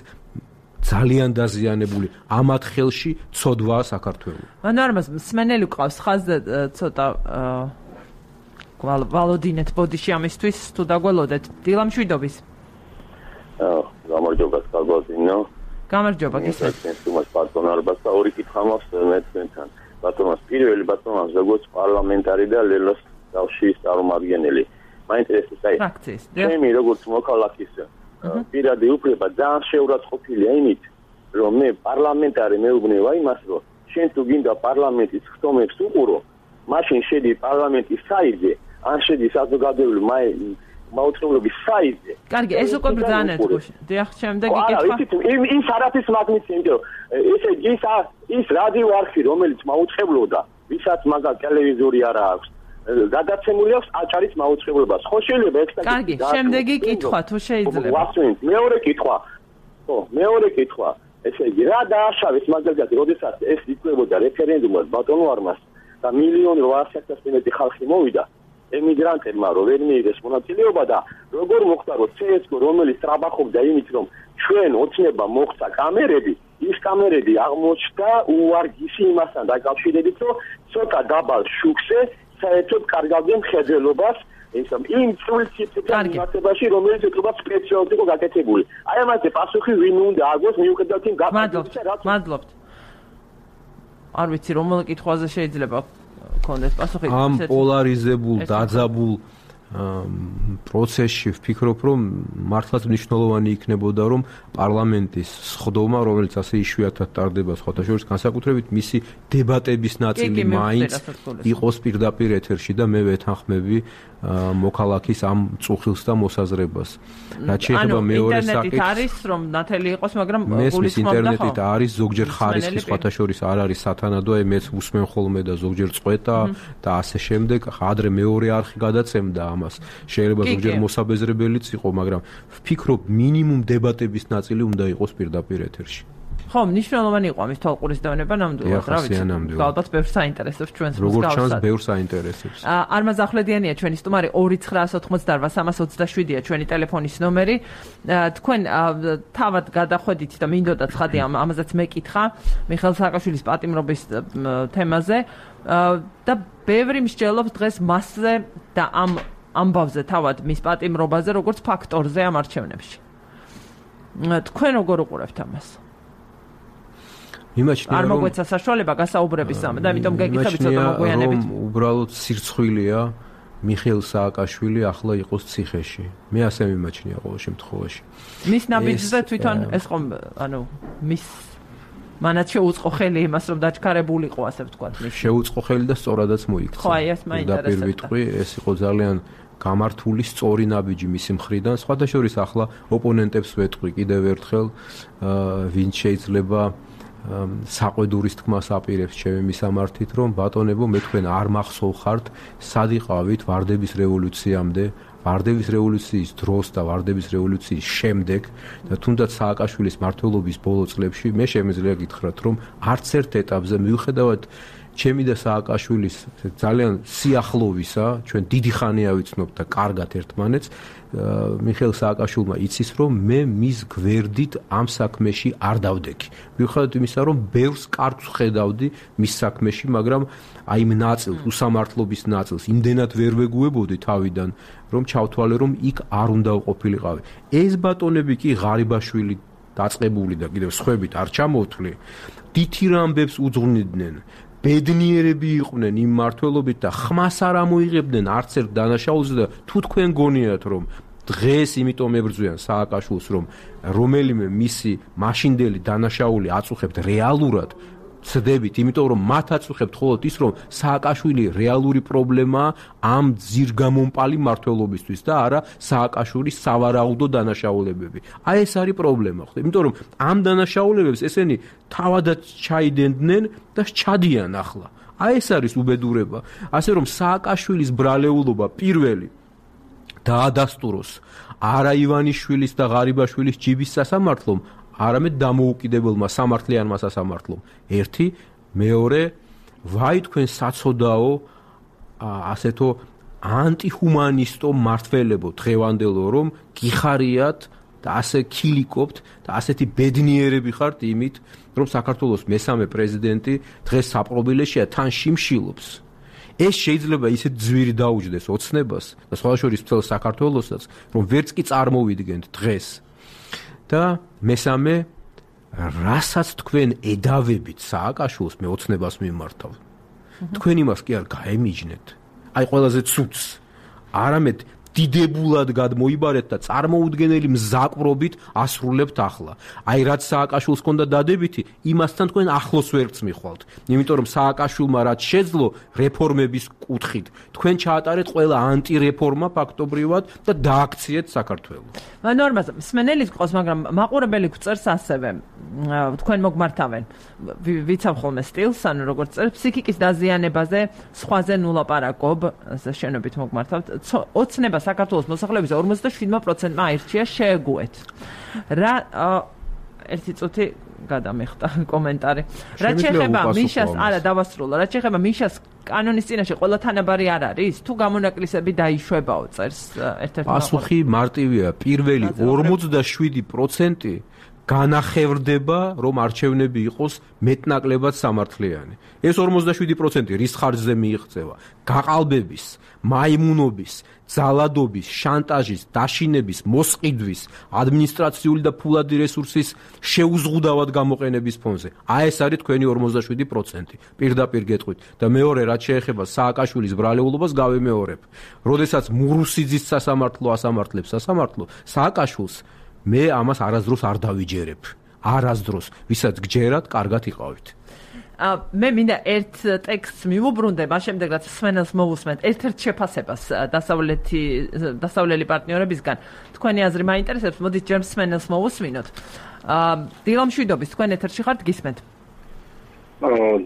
ძალიან დაზიანებული. ამათ ხელში ცოდვაა საქართველოს. მანარმას სმენელი ყავს ხაზზე ცოტა ვალოდინეთ ბოდიში ამისთვის თუ დაგველოდეთ. დილა მშვიდობის. გამარჯობა სკალბაზინო. გამარჯობა გისმენთ. თუმცა პარტონარებას და ორი კითხვა მაქვს მეცნიერთან. ბატონოს პირველი ბატონოს როგორც პარლამენტარი და ლელოს კავშირის წარმომადგენელი. მაინტერესებს აი ჩემი როგორც მოქალაქის პირადი უფლება ძალიან შეურაცხყოფილია იმით, რომ მე პარლამენტარი მეუბნება იმას, რომ შენ თუ გინდა პარლამენტის ხტომებს უყურო, მაშინ შედი პარლამენტის საიტზე, ან შედი საზოგადოებრივი მაუწყებლობის საიტზე. კარგი, ეს უკვე ბრძანეთ გუშინ. დიახ, შემდეგი კითხვა. ის არაფრის მაგნიტი, იმიტომ ესე ის რადიო არხი, რომელიც მაუწყებლობდა, ვისაც მაგალ ტელევიზორი არა აქვს, გადაცემული აქვს აჭარის მაუწყებლობას. ხო შეიძლება ეს კარგი, შემდეგი კითხვა თუ შეიძლება. ვასვენთ, მეორე კითხვა. ხო, მეორე კითხვა. ესე იგი, რა დააშავეს მაგალითად, როდესაც ეს იწვევდა რეფერენდუმად ბატონო არმას და 1.8 მილიონი ხალხი მოვიდა ემიგრანტებმა, რომ ვერ მიიღეს მონაწილეობა და როგორ მოხდა, რომ CSGO, რომელიც ტრაბახობდა იმით, რომ ჩვენ ოცნება მოხდა კამერები, ის კამერები აღმოჩნდა უვარგისი იმასთან დაკავშირებით, რომ ცოტა დაბალ შუქზე საერთოდ კარგავდნენ მხედველობას იმ წვლილ-ციფრთან მიმართებაში, რომელიც ეთქობა სპეციალურად იყო გაკეთებული. აი ამაზე პასუხი ვინ უნდა აგოს მიუხედავად იმ გაფრთხილებისა, რაც მადლობთ. არ ვიცი რომელ კითხვაზე შეიძლება გქონდეს პასუხი. ამ პოლარიზებულ, დაძაბულ პროცესში ვფიქრობ, რომ მართლაც მნიშვნელოვანი იქნებოდა, რომ პარლამენტის სხდომა, რომელიც ასე იშვიათად ტარდება სხვათა შორის, განსაკუთრებით მისი დებატების ნაწილი მაინც იყოს პირდაპირ ეთერში და მე ვეთანხმები მოქალაქის ამ წუხილს და მოსაზრებას. რაც შეიძლება მეორე საკითხი. ინტერნეტით არის რომ ნათელი იყოს, მაგრამ გულისხმობდა ინტერნეტით არის ზოგჯერ ხარისხი სხვათა შორის არ არის სათანადო, აი მეც უსმენ ხოლმე და ზოგჯერ წყვეტა და ასე შემდეგ. ადრე მეორე არხი გადაცემდა ამას. შეიძლება ზოგჯერ მოსაბეზრებელიც იყო, მაგრამ ვფიქრობ მინიმუმ დებატების ნაწილი უნდა იყოს პირდაპირ ეთერში. ხო, მნიშვნელოვანი იყო ამის თვალყურის დავნება ნამდვილად, რა ვიცი. ალბათ ბევრს საინტერესებს ჩვენს მსგავსად. როგორც ჩანს, ბევრს საინტერესებს. არმაზ ახვლედიანია ჩვენი სტუმარი 2988387-ია ჩვენი ტელეფონის ნომერი. თქვენ თავად გადახვედით და მინდოდა ცხადი ამაზეც მეკითხა მიხეილ სააკაშვილის პატიმრობის თემაზე და ბევრი მსჯელობს დღეს მასზე და ამ ამბავზე თავად მის პატიმრობაზე როგორც ფაქტორზე ამ არჩევნებში. თქვენ როგორ უყურებთ ამას? არ მოგვეცა საშუალება გასაუბრებისამ და ამიტომ გეკითხები ცოტა მოგვიანებით. უბრალოდ სირცხვილია მიხეილ სააკაშვილი ახლა იყოს ციხეში. მე ასე მიმაჩნია ყოველ შემთხვევაში. მის ნაბიჯზე თვითონ ეს ხომ მის მანაც შეუწყო ხელი იმას რომ დაჩქარებულიყო ასე ვთქვათ. შეუწყო ხელი და სწორადაც მოიქცა. ხო, აი ეს მაინტერესებდა. ეს იყო ძალიან გამართული სწორი ნაბიჯი მისი მხრიდან. სხვათა შორის ახლა ოპონენტებს ვეტყვი კიდევ ერთხელ, ვინც შეიძლება საყვედურის თქმას აპირებს ჩემი მისამართით, რომ ბატონებო მე თქვენ არ მახსოვხართ, სად იყავით ვარდების რევოლუციამდე, ვარდების რევოლუციის დროს და ვარდების რევოლუციის შემდეგ და თუნდაც სააკაშვილის მმართველობის ბოლო წლებში მე შემიძლია გითხრათ, რომ არც ერთ ეტაპზე მიუხედავად ჩემი და სააკაშვილის ძალიან სიახლოვისა, ჩვენ დიდი ხანია ვიცნობთ და კარგად ერთმანეთს, მიხეილ სააკაშვილმა იცის, რომ მე მის გვერდით ამ საქმეში არ დავდექი. მიუხედავად იმისა, რომ ბევრს კარგს ხედავდი მის საქმეში, მაგრამ აი იმ ნაწილს, უსამართლობის ნაწილს, იმდენად ვერ ვეგუებოდი თავიდან, რომ ჩავთვალე, რომ იქ არ უნდა ვყოფილიყავი. ეს ბატონები კი ღარიბაშვილი დაწყებული და კიდევ სხვებით არ ჩამოვთვლი, თითი რამბებს უძღვნიდნენ. ბედნიერები იყვნენ იმ მმართველობით და ხმას არ ამოიღებდნენ არც ერთ დანაშაულზე და თუ თქვენ გონიათ რომ დღეს იმიტომ ებრძვიან სააკაშვილს რომ რომელიმე მისი მაშინდელი დანაშაული აწუხებთ რეალურად ცდებით, იმიტომ რომ მათაც ვხებთ მხოლოდ ის, რომ სააკაშვილი რეალური პრობლემაა ამ ძირგამომპალი მმართველობისთვის და არა სააკაშვილის სავარაუდო დანაშაულებები. აი ეს არის პრობლემა, ხო? იმიტომ რომ ამ დანაშაულებებს ესენი თავადაც ჩაიდენდნენ და ჩადიან ახლა. აი ეს არის უბედურება. ასე რომ სააკაშვილის ბრალეულობა პირველი დაადასტუროს არა ივანიშვილის და ღარიბაშვილის ჯიბის სასამართლომ, არამედ დამოუკიდებელმა სამართლიანმა სასამართლომ. ერთი, მეორე, ვაი თქვენ საცოდაო ასეთო ანტიჰუმანისტო მართველებო დღევანდელო, რომ გიხარიათ და ასე ქილიკობთ და ასეთი ბედნიერები ხართ იმით, რომ საქართველოს მესამე პრეზიდენტი დღეს საპყრობილეშია თან შიმშილობს. ეს შეიძლება ისეთ ძვირი დაუჯდეს ოცნებას და სხვა შორის მთელ საქართველოსაც, რომ ვერც კი წარმოვიდგენთ დღეს. და მესამე, რასაც თქვენ ედავებით სააკაშვილს მე ოცნებას მიმართავ. თქვენ იმას კი არ გაემიჯნეთ. აი ყველაზე ცუდს. არამედ დიდებულად გადმოიბარეთ და წარმოუდგენელი მზაკვრობით ასრულებთ ახლა. აი რაც სააკაშვილს ჰქონდა დადებითი, იმასთან თქვენ ახლოს ვერც მიხვალთ. იმიტომ რომ სააკაშვილმა რაც შეძლო რეფორმების კუთხით, თქვენ ჩაატარეთ ყველა ანტირეფორმა ფაქტობრივად და დააქციეთ საქართველოს. ნორმაზე, მსმენელის ყავს, მაგრამ მაყურებელი გვწერს ასევე, თქვენ მოგმართავენ. ვიცავ ხოლმე სტილს, ანუ როგორც წერს, ფსიქიკის დაზიანებაზე, სხვაზე ნუ ლაპარაკობ, შენობით მოგმართავთ. ოცნება საქართველოს მოსახლეობის 57%-მა აირჩია შეეგუეთ. რა ერთი წუთი გადამეხტა კომენტარი. რაც შეეხება მიშას, არა დავასრულო, რაც შეეხება მიშას კანონის წინაშე ყველა თანაბარი არ არის? თუ გამონაკლისები დაიშვებაო, წერს ერთ-ერთი პასუხი მარტივია. პირველი 47% განახევრდება, რომ არჩევნები იყოს მეტნაკლებად სამართლიანი. ეს 47% რის ხარჯზე მიიღწევა? გაყალბების, მაიმუნობის, ძალადობის, შანტაჟის, დაშინების, მოსყიდვის, ადმინისტრაციული და ფულადი რესურსის შეუზღუდავად გამოყენების ფონზე. აი ეს არის თქვენი 47%. პირდაპირ გეტყვით. და მეორე, რაც შეეხება სააკაშვილის ბრალეულობას, გავიმეორებ. როდესაც მურუსიძის სასამართლო ასამართლებს სასამართლო, სააკაშვილს მე ამას არასდროს არ დავიჯერებ. არასდროს, ვისაც გჯერათ, კარგად იყავით. მე მინდა ერთ ტექსტს მივუბრუნდე, მას შემდეგ რაც სვენელს მოვუსმენთ, ერთ-ერთ შეფასებას დასავლელი პარტნიორებისგან. თქვენი აზრი მაინტერესებს, მოდით ჯერ სვენელს მოვუსმინოთ. დილა მშვიდობის, თქვენ ეთერში ხართ, გისმენთ?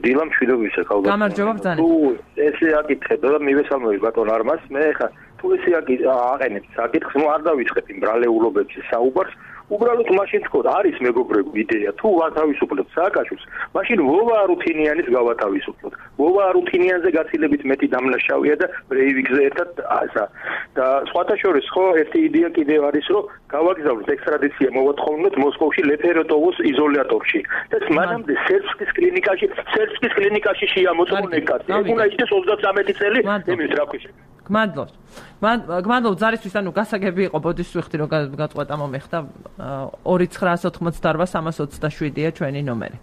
დილა მშვიდობისა, ხალხო. გამარჯობა ბრძანა. თუ ესე აკითხებ და მივესალმები ბატონ არმას, მე ხა თუ ესე აყენებ საკითხს, ნუ არ დავიწყებ იმ ბრალეულობებს საუბარს. უბრალოდ მაშინ თქო, არის მეგობრებო იდეა, თუ ვათავისუფლებთ სააკაშვილს, მაშინ ვოვა არუთინიანის გავათავისუფლოთ. ვოვა არუთინიანზე გაცილებით მეტი დამნაშავია და ბრეივიკზე ერთად ასა. და სხვათა შორის ხო ერთი იდეა კიდევ არის, რომ გავაგზავნოთ ექსტრადიცია მოვათხოვნოთ მოსკოვში ლეფეროტოვოს იზოლატორში. და მანამდე სერბსკის კლინიკაში შეამოწმონ ეკაცი. უნდა იქნეს 33 წელი, ემის რა ქვია. გმადლობ ზარისთვის, ანუ გასაგები იყო, ბოდიშს ვიხდი რომ გაწყვეტა მომეხდა 2988-327-ია ჩვენი ნომერი.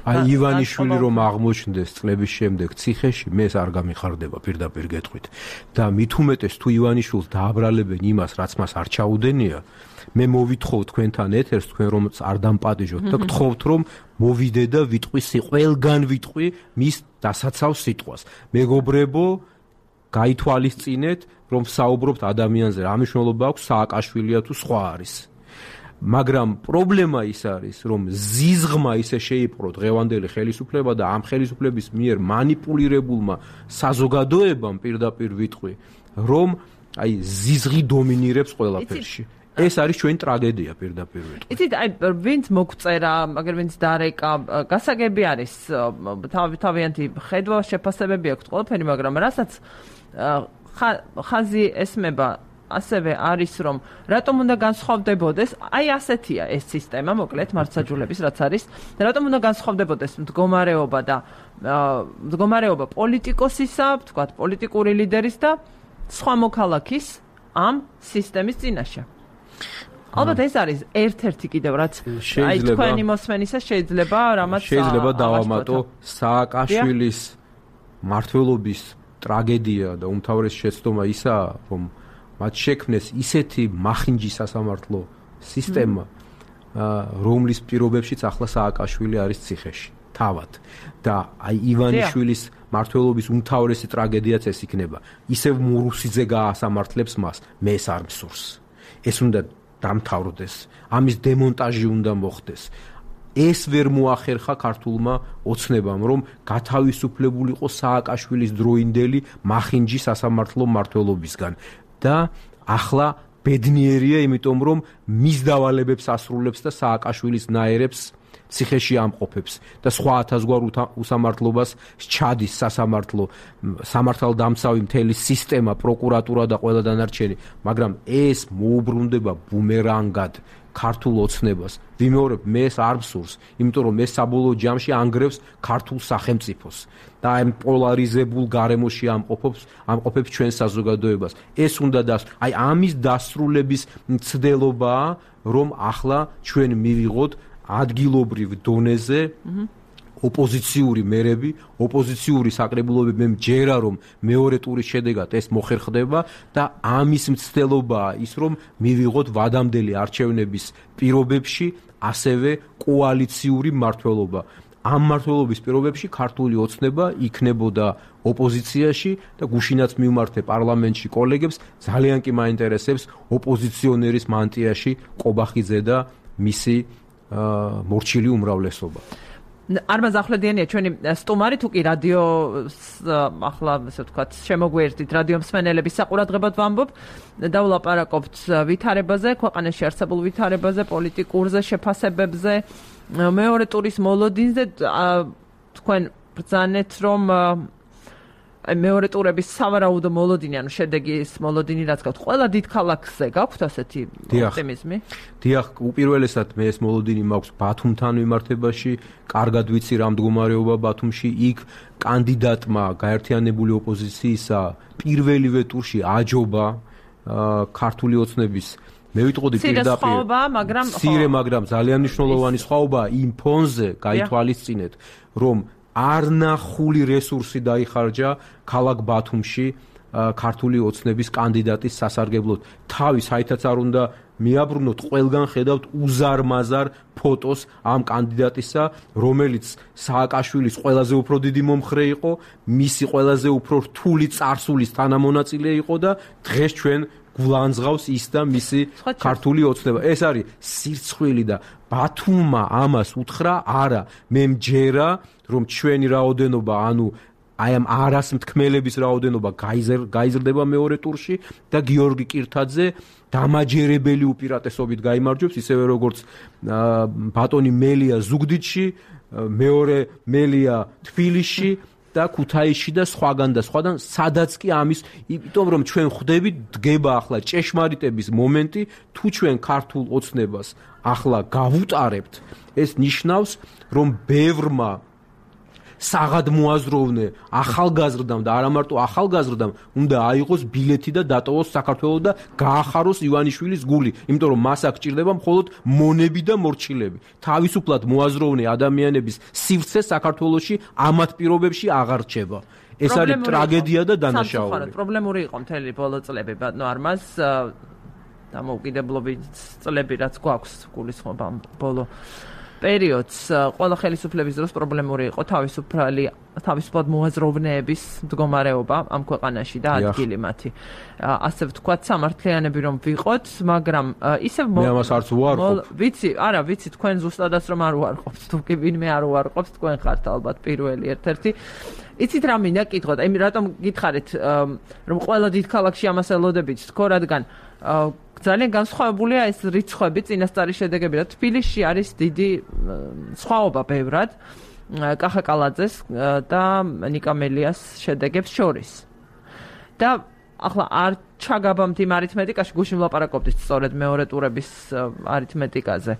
აი ივანიშვილი რომ აღმოჩნდეს წლების შემდეგ ციხეში, მე ეს არ გამიხარდება პირდაპირ გეტყვით. და მით უმეტეს თუ ივანიშვილს დააბრალებენ იმას, რაც მას არ ჩაუდენია, მე მოვითხოვ თქვენთან ეთერს, თქვენ რომ არ დამპატიჟოთ და გთხოვთ რომ მოვიდე და ვიტყვი ყველგან ვიტყვი მის დასაცავ სიტყვას. მეგობრებო, გაითვალისწინეთ, რომ საუბრობთ ადამიანზე, რა მნიშვნელობა აქვს სააკაშვილია თუ სხვა არის. მაგრამ პრობლემა ის არის, რომ ზიზღმა ისე შეიპყრო დღევანდელი ხელისუფლება და ამ ხელისუფლების მიერ მანიპულირებულმა საზოგადოებამ პირდაპირ ვიტყვი, რომ აი ზიზღი დომინირებს ყველაფერში. ეს არის ჩვენი ტრაგედია პირდაპირ ვიტყვი. იცით, აი ვინც მოგწერა, მაგრამ ვინც დარეკა, გასაგები არის, თავიანთი ხედვა, შეფასებები აქვს ყველაფერი, მაგრამ რასაც ხაზი ესმება ასევე არის, რომ რატომ უნდა განსხვავდებოდეს, აი ასეთია ეს სისტემა, მოკლედ მართლმსაჯულების რაც არის, და რატომ უნდა განსხვავდებოდეს მდგომარეობა პოლიტიკოსისა, ვთქვათ, პოლიტიკური ლიდერის და სხვა მოქალაქის ამ სისტემის წინაშე. ალბათ ეს არის ერთ-ერთი კიდევ რაც აი თქვენი მოსმენისას შეიძლება დავამატო სააკაშვილის მმართველობის ტრაგედია და უმთავრესი შეცდომა ისაა, რომ მათ შექმნეს ისეთი მახინჯი სასამართლო სისტემა, რომლის პირობებშიც ახლა სააკაშვილი არის ციხეში. თავად და აი ივანიშვილის მმართველობის უმთავრესი ტრაგედიაც ეს იქნება. ისევ მურუსიძე გაასამართლებს მას, მე ეს არ მსურს. ეს უნდა დამთავრდეს, ამის დემონტაჟი უნდა მოხდეს. ეს ვერ მოახერხა ქართულმა ოცნებამ, რომ გათავისუფლებულიყო სააკაშვილის დროინდელი მახინჯი სასამართლო მმართველობისგან და ახლა ბედნიერია, იმიტომ რომ მის დავალებებს ასრულებს და სააკაშვილის ნაერებს ციხეში ამყოფებს და სხვა ათასგვარ უსამართლობას ჩადის სასამართლო, სამართალდამცავი მთელი სისტემა, პროკურატურა და ყველა დანარჩენი, მაგრამ ეს მოუბრუნდება ბუმერანგად ქართულ ოცნებას. ვიმეორებ, მე ეს არ მსურს, იმიტომ რომ ეს საბოლოო ჯამში ანგრევს ქართულ სახელმწიფოს და ამ პოლარიზებულ გარემოში ამყოფებს ჩვენ საზოგადოებას. ეს უნდა აი ამის დასრულების მცდელობაა, რომ ახლა ჩვენ მივიღოთ ადგილობრივ დონეზე ოპოზიციური მერები, ოპოზიციური საკრებულოები. მე მჯერა, რომ მეორე ტურის შედეგად ეს მოხერხდება და ამის მცდელობაა ის, რომ მივიღოთ ვადამდელი არჩევნების პირობებში ასევე კოალიციური მმართველობა. ამ მმართველობის პირობებში ქართული ოცნება იქნებოდა ოპოზიციაში და გუშინაც მივმართე პარლამენტში კოლეგებს, ძალიან კი მაინტერესებს ოპოზიციონერის მანტიაში ყობახიძე და მისი მორჩილი უმრავლესობა. Armaz Ahledიანია ჩვენი სტუმარი, თუ კი რადიო ახლა ესე ვთქვათ შემოგვიერთდით რადიო მსმენელების საყურადღებოდ ვამბობ, დავლაპარაკობთ ვითარებაზე, ქვეყანაში არსებულ ვითარებაზე, პოლიტიკურზე, შეფასებებზე, მეორე ტურის მოლოდინზე. თქვენ ბრძანეთ, რომ მეორე ტურების სავარაუდო მოლოდინი, ანუ შედეგის მოლოდინი რაც გაქვთ, ყველა დიდ ქალაქზე გაქვთ ასეთი ოპტიმიზმი? დიახ, უპირველესად მე ეს მოლოდინი მაქვს ბათუმთან მიმართებაში, კარგად ვიცი რა მდგომარეობა ბათუმში, იქ კანდიდატმა გაერთიანებული ოპოზიციისა პირველივე ტურში აჯობა ქართული ოცნების. მე ვიტყოდი პირდაპირ, მაგრამ ძალიან მნიშვნელოვანი სხვაობა იმ ფონზე გაითვალისწინეთ, რომ არნახული რესურსი დაიხარჯა ქალაქ ბათუმში ქართული ოცნების კანდიდატის სასარგებლოდ. თავის საერთოდ არ უნდა მიაბრუნოთ, ყველგან ხედავთ უზარმაზარ ფოტოს ამ კანდიდატისა, რომელიც სააკაშვილის ყველაზე უფრო დიდი მომხრე იყო, მისი ყველაზე უფრო რთული წარსულის თანამონაწილე იყო და დღეს ჩვენ გულანძღავს ის და მისი ქართული ოცნება. ეს არის სირცხვილი და ბათუმმა ამას უთხრა, არა, მე მჯერა, რომ ჩვენი რაოდენობა, ანუ აი ამ არასმთქმელების რაოდენობა გაიზრდება მეორე ტურში და გიორგი კირთაძე დამაჯერებელი უპირატესობით გაიმარჯვებს, ისევე როგორც ბატონი მელია ზუგდიდში, მეორე მელია თბილისში და ქუთაისში და სხვაგან, სადაც კი ამის, იმიტომ რომ ჩვენ ხვდებით, დგება ახლა ჭეშმარიტების მომენტი, თუ ჩვენ ქართულ ოცნებას ახლა გავუტარებთ, ეს ნიშნავს, რომ ბევრმა საღადმოაზროვნე ახალგაზრდამ და არა მარტო ახალგაზრდამ უნდა აიღოს ბილეთი და დატოვოს საქართველოს და გაახაროს ივანიშვილის გული, იმიტომ რომ მას აქ ჭირდება მხოლოდ მონები და მორჩილები. თავისუფლად მოაზროვნე ადამიანების სივრცე საქართველოში ამათ პირობებში აღარ რჩება. ეს არის ტრაგედია და დანაშაული. პრობლემური იყო მთელი ბოლო წლები, ბატონო Armaz, დამოუკიდებლობის წლები რაც გვაქვს გულისხმობა ბოლო პერიოდს, ყველა ხელისუფლების დროს პრობლემური იყო თავისუფლად მოაზროვნეების მდგომარეობა ამ ქვეყანაში და ადგილი მათი. ასე ვთქვათ, სამართლიანები რომ ვიყოთ, მაგრამ ისევ მე ამას არც უარყოფ. ვიცი, თქვენ ზუსტადაც რომ არ უარყოფთ, თუ კი ვინმე არ უარყოფთ, თქვენ ხართ ალბათ პირველი ერთ-ერთი. იცით რა მინდა გითხოთ, აი რატომ გითხარით, რომ ყველა დიდ ქალაქში ამას ელოდებით, თქო, რადგან ძალიან განსხვავებულია ეს რიცხვები, წინასწარი შედეგები და თბილისში არის დიდი სხვაობა ბევრად კახაკალაძეს და ნიკა მელიას შედეგებს შორის. და ახლა არ ჩაგაბამთ იმ არითმეტიკაში, გუშინ ვლაპარაკობდით სწორედ მეორე ტურების არითმეტიკაზე.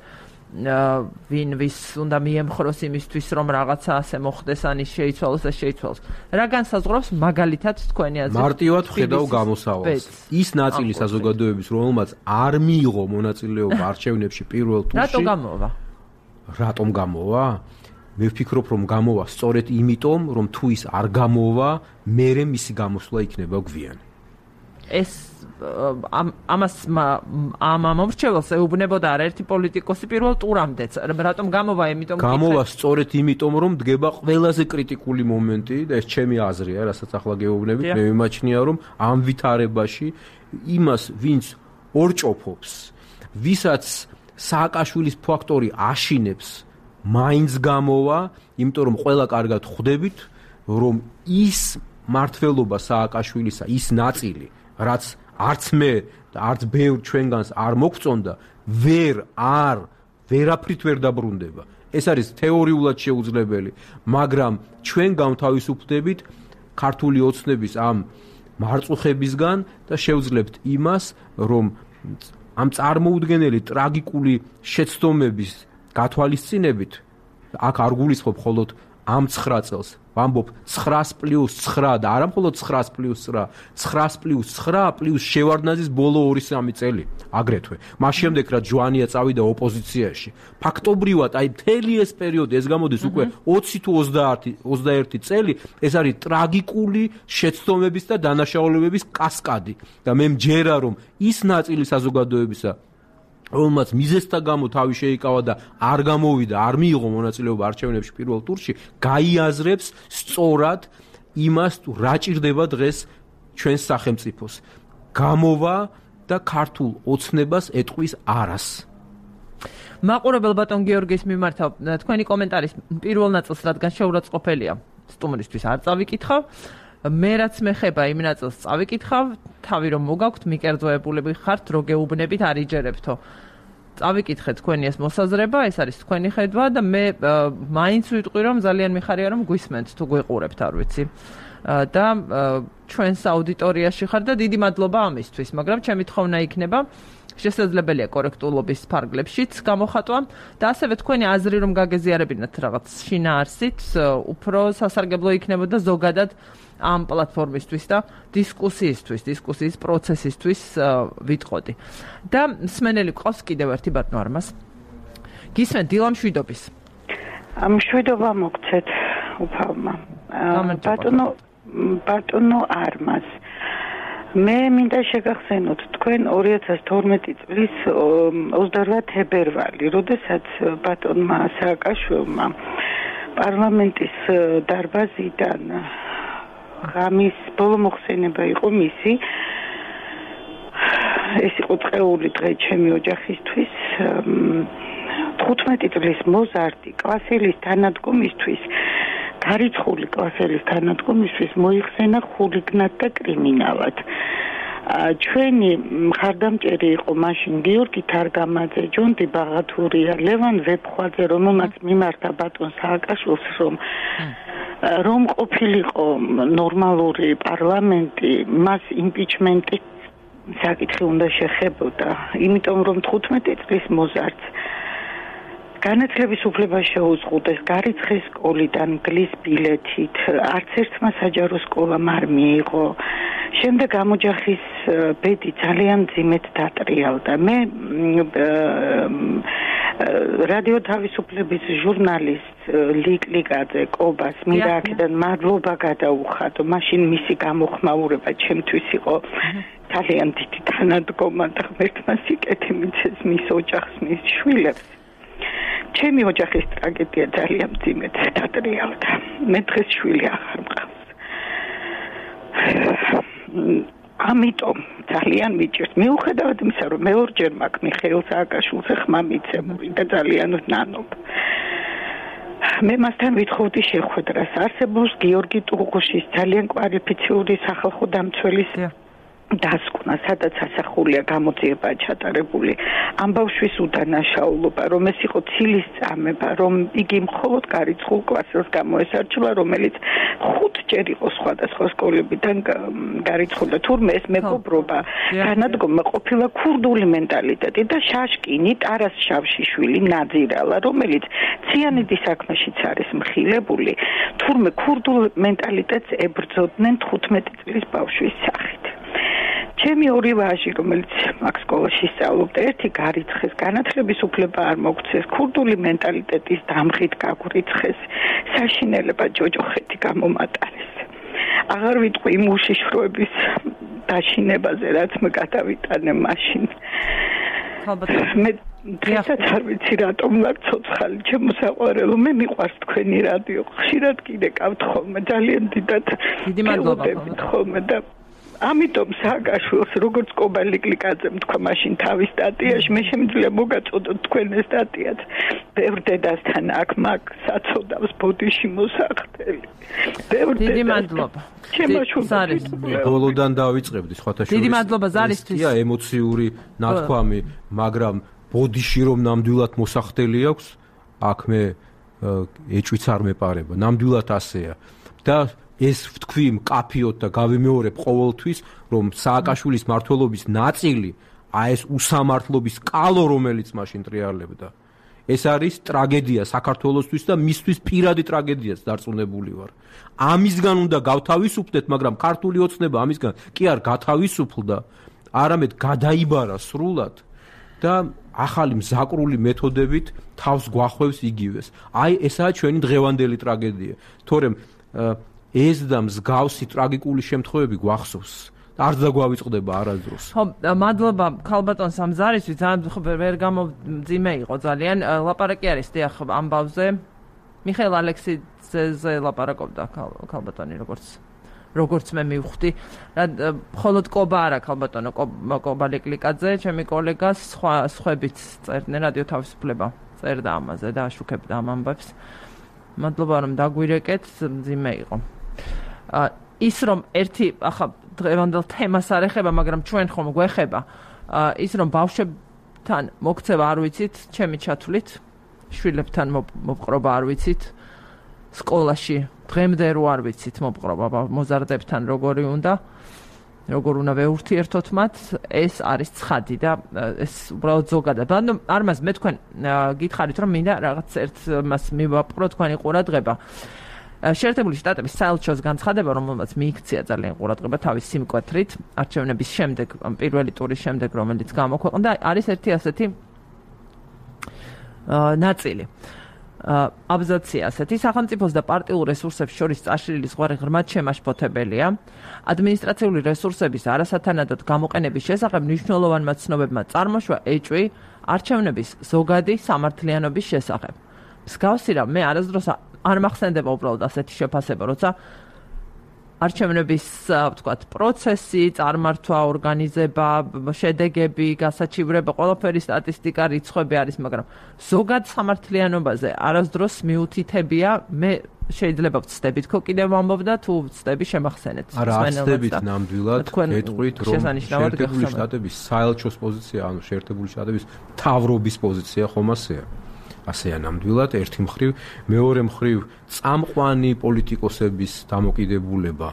ვინ ვის უნდა მიემხროს იმისთვის, რომ რაღაცა ასე მოხდეს, ან ის შეიცვალოს და შეიცვალოს. რა განსაზღვრავს მაგალითად თქვენი აზრით? მარტივად ხედავ გამოსავალს. ის ნაწილი საზოგადოების, რომელმაც არ მიიღო მონაწილეობა არჩევნებში პირველ ტურში. რატომ გამოვა? მე ვფიქრობ, რომ გამოვა სწორედ იმიტომ, რომ თუ ის არ გამოვა, მერე მისი გამოსვლა იქნება გვიანი. ეს ამას ამ მომრჩეველს ეუბნებოდა არაერთი პოლიტიკოსი პირველ ტურამდეც. რატომ გამოვა, იმიტომ გამოვა სწორედ იმიტომ, რომ დგება ყველაზე კრიტიკული მომენტი და ეს ჩემი აზრია, რასაც ახლა გეუბნებით, მე მიმაჩნია, რომ ამ ვითარებაში იმას, ვინც ორჭოფობს, ვისაც სააკაშვილის ფაქტორი აშინებს, მაინც გამოვა, იმიტომ რომ ყველა კარგად ხვდებით, რომ ის მართლობა სააკაშვილისა, ის ნაწილი, რაც არც მე და არც ბევრ ჩვენგანს არ მოგწონდა, ვერაფრით ვერ დაბრუნდება. ეს არის თეორიულად შეუძლებელი, მაგრამ ჩვენ გამთავისუფლდებით ქართული ოცნების ამ მარწუხებისგან და შევძლებთ იმას, რომ ამ წარმოუდგენელი ტრაგიკული შეცდომების გათვალისწინებით აქ არ გულისხმობ მხოლოდ ამ 9 წელს, ვამბობ 9+9 და არა მხოლოდ 9+9, 9+9 პლუს შევარდნაძის ბოლო 2-3 წელი აგრეთვე. მას შემდეგ რაც ჯვანია წავიდა ოპოზიციაში, ფაქტობრივად აი მთელი ეს პერიოდი, ეს გამოდის უკვე 20 თუ 21 წელი, ეს არის ტრაგიკული შეცდომების და დანაშაულებების კასკადი და მე მჯერა რომ ის ნაწილი საზოგადოებისა, რომელმაც მიზეზთა გამო თავი შეიკავა და არ გამოვიდა, არ მიიღო მონაწილეობა არჩევნებში პირველ ტურში, გაიაზრებს სწორად იმას, რა ჭირდება დღეს ჩვენს სახელმწიფოს. გამოვა და ქართულ ოცნებას ეტყვის არას. მაყურებელ ბატონ გიორგის მიმართავ თქვენი კომენტარის პირველ ნაწილს, რადგან შეურაცხყოფელია სტუმრისთვის არ წავიკითხავ. მე რაც მეხება იმ ნაწილს წავიკითხავ, თავი რომ მოგაქვთ, მიკერძოებულები ხართ, რო გეუბნებით არ იჯერებთო. წავიკითხეთ თქვენი ეს მოსაზრება, ეს არის თქვენი ხედვა და მე მაინც ვიტყვი რომ ძალიან მიხარია რომ გვისმენთ თუ გვიყურებთ, არ ვიცი. და ჩვენს აუდიტორიაში ხარ და დიდი მადლობა ამისთვის, მაგრამ ჩემი თხოვნა იქნება შესაძლებელია კორექტულობის ფარგლებშიც გამოხატვა და ასევე თქვენი აზრი რომ გაგეზიარებინათ რაღაც შინაარსით, უფრო სასარგებლო იქნებოდა ზოგადად ამ პლატფორმისთვის და დისკუსიის პროცესისთვის ვიტყოდი. და მსმენელი ყავს კიდევ ერთი ბატონო არმას. გისმენთ დილამ შვიდობის. მშვიდობა მოგცეთ უფალმა. ბატონო არმას. მე მინდა შეგახსენოთ თქვენ 2012 წლის 28 თებერვალი, როდესაც ბატონმა სააკაშვილმა პარლამენტის დარბაზიდან ღამის ბოლო მოხსენება იყო მისი. ეს იყო წეული დღე ჩემი ოჯახისთვის. 15 წლის მოზარდი კლასელის თანადგომისთვის, გარიცხული კლასელის თანადგომისთვის მოიხსენა ხულიგნად და კრიმინალად. ჩვენი მხარდამჭერი იყო მაშინ გიორგი თარგამაძე, ჯონდი ბაღათურია, ლევან ვეფხვაძე, რომელმაც მიმართა ბატონ სააკაშვილს, რომ ყოფილიყო ნორმალური პარლამენტი, მას იმპიჩმენტი საკითხი უნდა შეხებოდა, იმიტომ რომ 15 წლის მოზარდს განათლების უფლება შეუზღუდეს, გარიცხეს სკოლიდან გლის ბილეთით, არც ერთმა საჯარო სკოლამ არ მიიღო. შემდეგ გამოჯახის ბედი ძალიან მძიმედ დატრიალდა. მე რადიო თავისუფლების ჟურნალისტ ლიკლიკაძე კობას მინდა აქედან მადლობა გადაუხადო. მაშინ მისი გამოხმაურება ჩემთვის იყო ძალიან დიდი თანადგომა და ღმერთმა სიკეთე მიცეს მის ოჯახს, მის შვილებს. ჩემი ოჯახის ტრაგედია ძალიან მძიმედ დატრიალდა. მე დღეს შვილი აღარ მყავს. ამიტომ ძალიან მიჭირს. მიუხედავად იმისა, რომ მე ორჯერ მაქვს მიხეილ სააკაშვილზე ხმა მიცემული და ძალიან ვნანობ. მე მასთან ვითხოვდი შეხვედრას. არსებობს გიორგი ტუღუშის ძალიან კვალიფიციური სახალხო დამცველის დასკვნა, სადაც ასახულია გამოძიება ჩატარებული ამ ბავშვის უდანაშაულობა, რომ ეს იყო ცილის წამება, რომ იგი მხოლოდ გარიცხულ კლასელს გამოესარჩვა, რომელიც 5 ჯერ იყო სხვადასხვა სკოლებიდან გარიცხული. თურმე ეს მეგობრობა თანადგომა ყოფილა ქურდული მენტალიტეტი და შაშკინი ტარას შავშიშვილი ნაძირალა, რომელიც ციანიდის საქმეშიც არის მხილებული, თურმე ქურდულ მენტალიტეტს ებრძოდნენ 15 წლის ბავშვის სახით. ჩემი ორი ვაჟი, რომელიც აქ სკოლაში სწავლობდა, ერთი გარიცხეს, განათლების უფლება არ მოგცეს, ქურდული მენტალიტეტის დამღით გაგვირიცხეს, საშინელება ჯოჯოხეთი გამომატარეს. აღარ ვიტყვი იმ უშიშროების დაშინებაზე რაც მე გადავიტანე მაშინ მე დღესაც არ ვიცი რატომ ვარ ცოცხალი ჩემო საყვარელო მე მიყვარს თქვენი რადიო ხშირად კიდეკავთ ხოლმე ძალიან დიდი მადლობა ხოლმე და ამიტომ სააკაშვილს როგორც კობალიკლიკაძემ თქვა მაშინ თავის სტატიაში მე შემიძლია მოგაწოდოთ თქვენ ეს სტატიაც ბევრ დედასთან აქ მაგ საწოდავს ბოდიში მოსახდელი დიდი მადლობა ზარის ბოლოდან დავიწყებდი სხვათა შორის დიდი მადლობა ზარისთვის ემოციური ნათქვამი მაგრამ ბოდიში რომ ნამდვილად მოსახდელი აქვს აქ მე ეჭვიც არ მეპარება ნამდვილად ასეა და ეს ვთქვი მკაფიოდ და გავიმეორებ ყოველთვის რომ სააკაშვილის მმართველობის ნაწილი ეს უსამართლობის კალო რომელიც მაშინ ტრიალებდა ეს არის ტრაგედია საქართველოსთვის და მისთვის პირადი ტრაგედიაც დარწმუნებული ვარ ამისგან უნდა გავთავისუფლდეთ მაგრამ ქართული ოცნება ამისგან კი არ გათავისუფლდა არამედ გადაიბარა სრულად და ახალი მზაკრული მეთოდებით თავს გვახვევს იგივეს აი ესაა ჩვენი დღევანდელი ტრაგედია თორემ ეს და მსგავსი ტრაგიკული შემთხვევები გვახსოვს არ დაგვავიწყდება არასდროს ხო მადლობა ქალბატონ სამზარისთვის ძალიან ვერ გამომძიმე იყო ძალიან ლაპარაკი არის დიახ ამბავზე მიხეილ ალექსიძეზე ლაპარაკობდა ქალბატონი როგორც მე მივხვდი მხოლოდ კობა არა ქალბატონო კობალიკლიკაძე ჩემი კოლეგას სხვაებიც წერდნენ რადიო თავისუფლება წერდა ამაზე და აშუქებდა ამ ამბებს მადლობა რომ დაგვირეკეთ მძიმე იყო ის რომ ერთი ახლა დღევანდელ თემას არ ეხება მაგრამ ჩვენ ხომ გვეხება ის რომ ბავშვებთან მოქცევა არ ვიცით ჩემი ჩათვლით შვილებთან მოპყრობა არ ვიცით სკოლაში დღემდე რო არ ვიცით მოპყრობა მოზარდებთან როგორ უნდა ვეურთიერთოთ მათ ეს არის ცხადი და ეს უბრალოდ ზოგადად ანუ არმას მე თქვენ გითხარით რომ მინდა რაღაც ერთ მას მივაპყრო თქვენი ყურადღება შეერთებული შტატების საელჩოს განცხადება რომელმაც მიიქცია ძალიან ყურადღება თავის სიმკვეთრით არჩევნების შემდეგ პირველი ტურის შემდეგ რომელიც გამოქვეყნდა არის ერთი ასეთი ნაწილი აბზაცია ასეთი სახელმწიფოს და პარტიულ რესურსებს შორის წაშლილი ზღვარი ღრმად შემაშფოთებელია ადმინისტრაციული რესურსების არასათანადოდ გამოყენების შესახებ მნიშვნელოვანმა ცნობებმა წარმოშვა ეჭვი არჩევნების ზოგადი სამართლიანობის შესახებ მსგავსი რამ მე არასდროს არ მახსენდება უბრალოდ ასეთი შეფასება როცა არჩევნების ვთქვათ პროცესი წარმართვა ორგანიზება შედეგები გასაჩივრება ყველაფერი სტატისტიკა რიცხვები არის მაგრამ ზოგად სამართლიანობაზე არასდროს მიუთითებია მე შეიძლება ვწდებით ხო კიდევ ამბობდა თუ ვწდები შემახსენეთ არა ვწდებით ნამდვილად გეტყვით რომ შეერთებული შტატების საელჩოს პოზიცია ანუ შეერთებული შტატების მთავრობის პოზიცია ხომ ასეა ნამდვილად ერთი მხრივ მეორე მხრივ წამყვანი პოლიტიკოსების დამოკიდებულება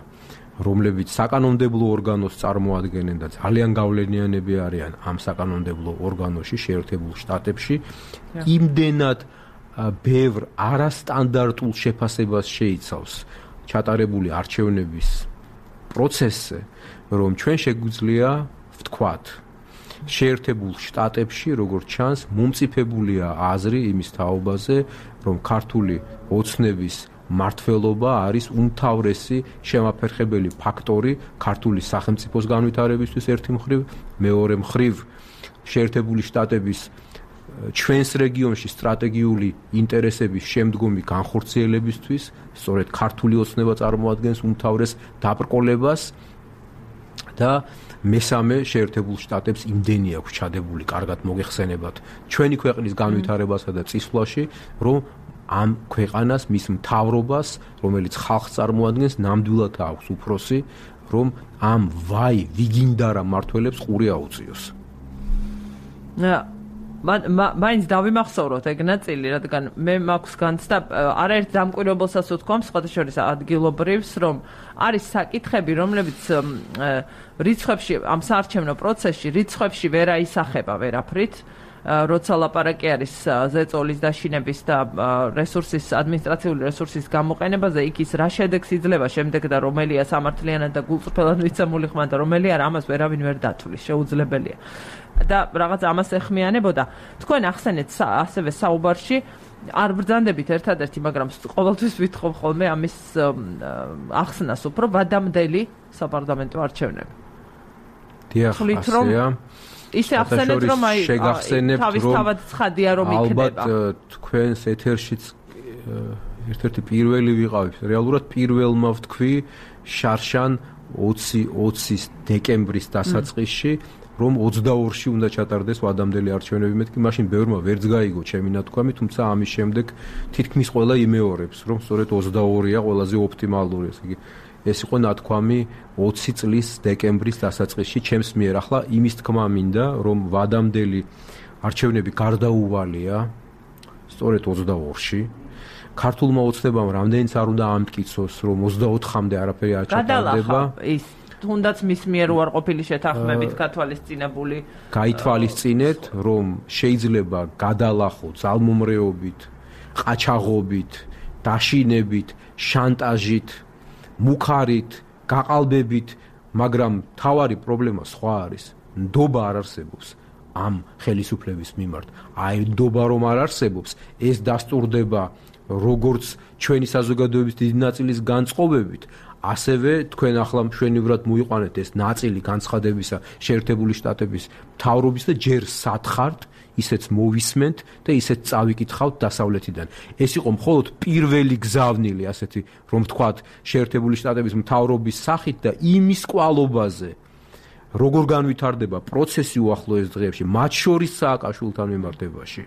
რომლებიც საკანონმდებლო ორგანოს წარმოადგენენ და ძალიან გავლენიანები არიან ამ საკანონმდებლო ორგანოში შეერთებულ შტატებში იმდენად ბევრ არასტანდარტულ შეფასებას შეიცავს ჩატარებული არჩევნების პროცესზე რომ ჩვენ შეგვიძლია ვთქვათ შეერთებულ შტატებში როგორც ჩანს მომწიფებულია აზრი იმის თაობაზე რომ ქართული ოცნების მმართველობა არის უმთავრესი შემაფერხებელი ფაქტორი ქართული სახელმწიფოს განვითარებისთვის ერთი მხრივ მეორე მხრივ შეერთებული შტატების ჩვენს რეგიონში სტრატეგიული ინტერესების შემდგომი განხორციელებისთვის სწორედ ქართული ოცნება წარმოადგენს უმთავრეს დაბრკოლებას და მესამე შეერთებულ შტატებს იმდენი აქვს ჩადებული კარგად მოგეხსენებათ ჩვენი ქვეყნის განვითარებასა და წისვლაში რომ ამ ქვეყანას მის მთავრობას რომელიც ხალხს წარმოადგენს ნამდვილად აქვს უფროსი რომ ამ ვიგინდარა მმართველებს ყური აუწიოს მაინც დავიმახსოვროთ ეგ ნაწილი რადგან მე მაქვს განცდა არაერთ დამკვირვებელსაც ვთქვამ სხვათა შორის ადგილობრივს რომ არის საკითხები რომლებიც რიცხვებში ამ საარჩევნო პროცესში რიცხვებში ვერ აისახება ვერაფრით როცა ლაპარაკი არის ზეწოლის დაშინების და რესურსის ადმინისტრაციული რესურსის გამოყენებაზე იქ ის რა შედეგს იძლევა შემდეგ და რომელია სამართლიანად და გულწრფელად მიცემული ხმა და რომელი არა ამას ვერავინ ვერ დათვლის შეუძლებელია და რაღაც ამას ეხმიანებოდა თქვენ ახსენეთ ასევე საუბარში არ ბრძანდებით ერთადერთი მაგრამ ყოველთვის ვითხოვ ხოლმე ამის ახსნას უფრო ვადამდელი საპარლამენტო არჩევნები დიახ, ასეა. ისე ახსენეთ რომ თავის თავად ცხადია რომ იქნება. ალბათ თქვენს ეთერშიც ერთ-ერთი პირველი ვიყავით. რეალურად პირველმა ვთქვი შარშან 20 დეკემბრის დასაწყისში რომ 22-ში უნდა ჩატარდეს ვადამდელი არჩევნები. მეთქი მაშინ ბევრმა ვერც გაიგო ჩემი ნათქვამი, თუმცა ამის შემდეგ თითქმის ყველა იმეორებს, რომ სწორედ 22-ია ყველაზე ოპტიმალური. ეს იყო ნათქვამი 20 წლის დეკემბრის დასაწყისში ჩემს მიერ. ახლა იმის თქმა მინდა, რომ ვადამდელი არჩევნები გარდაუვალია სწორედ 22-ში. ქართულმა ოცნებამ რამდენიც არ უნდა ამტკიცოს, რომ 24-მდე არაფერი არ ჩატარდება. ის თუნდაც მის მიერ უარყოფილი შეთანხმებით გათვალისწინებული. გაითვალისწინეთ, რომ შეიძლება გადალახო ძალმომრეობით, ყაჩაღობით, დაშინებით, შანტაჟით, მუხარით, გაყალბებით, მაგრამ თავარი პრობლემა სხვა არის. ნდობა არ არსებობს ამ ხელისუფლების მიმართ. აი ნდობა რომ არ არსებობს, ეს დასტურდება როგორც ჩვენი საზოგადოების დიდი ნაწილის განწყობებით, ასევე თქვენ ახლა მშვენივრად მოიყვანეთ ეს ნაწილი განცხადებისა შეერთებული შტატების მთავრობის და ჯერ სათხართ, ისეც მოვისმენთ და ისეც წავიკითხავთ დასავლეთიდან. ეს იყო მხოლოდ პირველი გზავნილი, ასეთი რომ ვთქვათ, შეერთებული შტატების მთავრობის სახით და იმის კვალობაზე, როგორ განვითარდება პროცესი უახლოეს დღეებში, მათ შორის სააკაშვილთან მიმართებაში.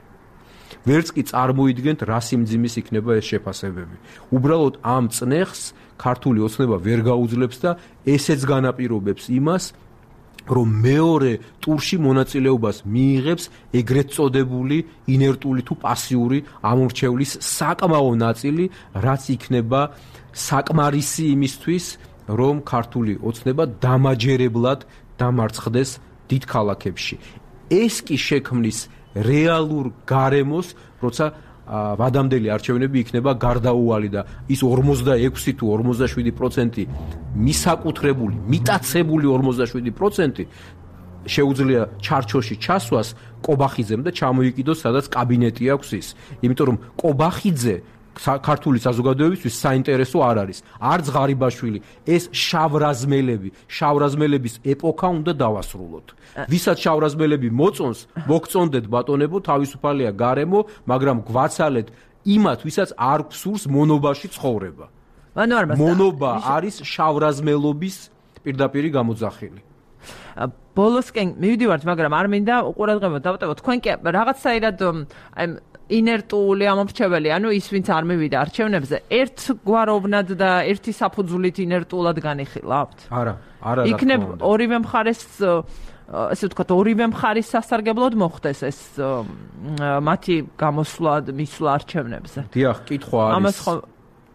ვერც კი წარმოიდგენთ, რა სიმძიმის იქნება ეს შეფასებები. უბრალოდ ამ წნეხს ქართული ოცნება ვერ გაუძლებს და ესეც განაპირობებს იმას, რომ მეორე ტურში მონაწილეობას მიიღებს ეგრეთ წოდებული ინერტული თუ პასიური ამორჩევლის საკმაო ნაწილი, რაც იქნება საკმარისი იმისთვის, რომ ქართული ოცნება დამაჯერებლად დამარცხდეს დიდ ქალაქებში. ეს კი შექმნის რეალურ გარემოს, როცა ვადამდელი არჩევნები იქნება გარდაუვალი და ის 46 თუ 47% მისაკუთრებული, მიტაცებული 47% შეუძლია ჩარჩოში ჩასვას კობახიძემ და ჩამოიკიდოს, სადაც კაბინეტი აქვს ის. იმიტომ რომ კობახიძე ქართული საზოგადოებისთვის საინტერესო არ არის. არც ღარიბაშვილი, ეს შავრაზმელების ეპოქა უნდა დავასრულოთ. ვისაც შავრაზმელები მოწონს, მოგწონდეთ ბატონებო, თავისუფალია გარემო, მაგრამ გვაცალეთ იმათ, ვისაც არ გსურს მონობაში ცხოვრება. მონობა არის შავრაზმელობის პირდაპირი გამოძახილი. ბოლოსკენ მივიდივართ, მაგრამ არ მინდა უყურადღებოდ დავტევოთ. თქვენ კი რაღაცაირად ინერტული ამორჩეველი, ანუ ის ვინც არ მივიდა არჩევნებზე, ერთგვაროვნად და ერთი საფუძვლით ინერტულად განიხილავთ? არა, იქნებ ორივე მხარეს, ესე ვთქვათ, ორივე მხარის სასარგებლოდ მოხდეს ეს მათი გამოსვლა, მისვლა არჩევნებზე. დიახ, კითხვა არის. ამას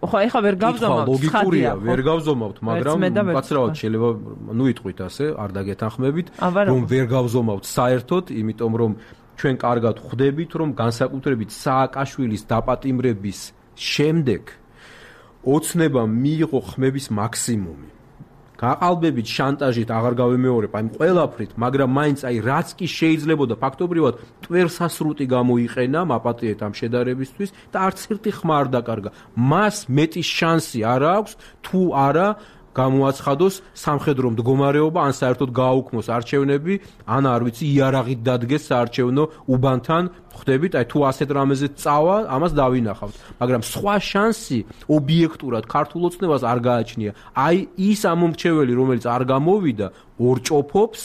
ხო ეხა ვერ გავზომავთ, ლოგიკურია, ვერ გავზომავთ, მაგრამ კაცრავად შეიძლება, ნუ იტყვით ასე, არ დაგეთანხმებით, რომ ვერ გავზომავთ საერთოდ, იმიტომ რომ ჩვენ კარგად ხვდებით, რომ განსაკუთრებით სააკაშვილის დაპატიმრების შემდეგ ოცნებამ მიიღო ხმების მაქსიმუმი. გაყალბებით, შანტაჟით აღარ გავემეორებ, აი ყველაფრით, მაგრამ მაინც აი რაც კი შეიძლებოდა ფაქტობრივად ტვერსასრუტი გამოიყენა მაპატიეთ ამ შედარებისთვის და არც ერთი ხმა არ დაკარგა. მას მეტი შანსი არ აქვს, თუ არა გამოაცხადოს სამხედრო მდგომარეობა, ან საერთოდ გააუქმოს არჩევნები, ან არ ვიცი, იარაღით დადგეს საარჩევნო უბანთან, ხვდებით, აი თუ ასეთ რამეზე წავა, ამას დავინახავთ. მაგრამ სხვა შანსი ობიექტურად ქართულ ოცნებას არ გააჩნია. აი ის ამომრჩეველი, რომელიც არ გამოვიდა, ორჭოფობს,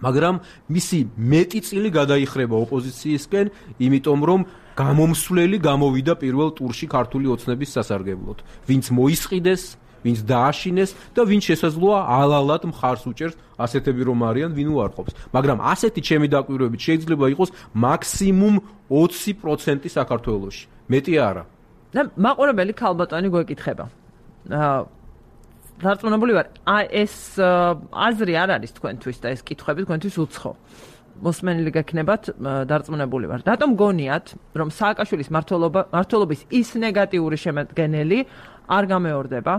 მაგრამ მისი მეტი წილი გადაიხრება ოპოზიციისკენ, იმიტომ რომ გამომსვლელი გამოვიდა პირველ ტურში ქართული ოცნების სასარგებლოდ. ვინც მოისყიდეს, ვინც დააშინეს და ვინც შესაძლოა ალალად მხარს უჭერს ასეთები რომ არიან, ვინ უარყოფს. მაგრამ ასეთი ჩემი დაკვირვებით შეიძლება იყოს მაქსიმუმ 20% საქართველოში. მეტი არა. და მაყურებელი ქალბატონი გვეკითხება. დარწმუნებული ვარ, ეს აზრი არ არის თქვენთვის და ეს კითხვები თქვენთვის უცხო. მოსმენილი გექნებათ, დარწმუნებული ვარ. რატომ გონიათ, რომ სააკაშვილის მმართველობის ის ნეგატიური შემადგენელი არ გამეორდება?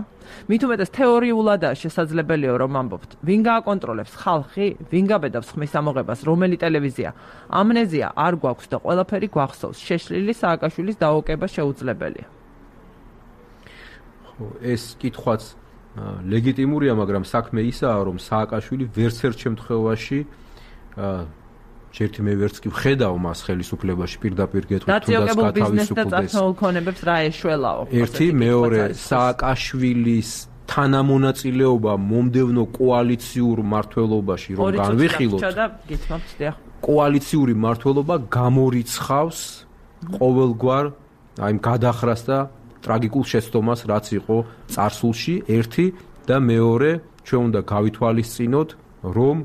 მით უმეტეს თეორიულადაა შესაძლებელია რომ ამბობთ. ვინ გააკონტროლებს? ხალხი? ვინ გაბედავს ხმის ამოღებას? რომელი ტელევიზია? ამნეზია არ გვაქვს და ყველაფერი გვახსოვს. შეშლილი სააკაშვილის დაოკება შეუძლებელია. ეს კითხვაც ლეგიტიმურია, მაგრამ საქმე ისაა, რომ სააკაშვილი ვერც ერთ შემთხვევაში ერთი მე ვერც კი ვხედავ მას ხელისუფლებაში პირდაპირ გეტყვით თუნდაც გათავისუფლდეს. რა ეშველაო. ერთი, მეორე, სააკაშვილის თანამონაწილეობა მომდევნო კოალიციურ მმართველობაში რომ განვიხილოთ. კოალიციური მმართველობა გამორიცხავს ყოველგვარ აი გადახრას და ტრაგიკულ შეცდომას, რაც იყო წარსულში, ერთი და მეორე, ჩვენ უნდა გავითვალისწინოთ, რომ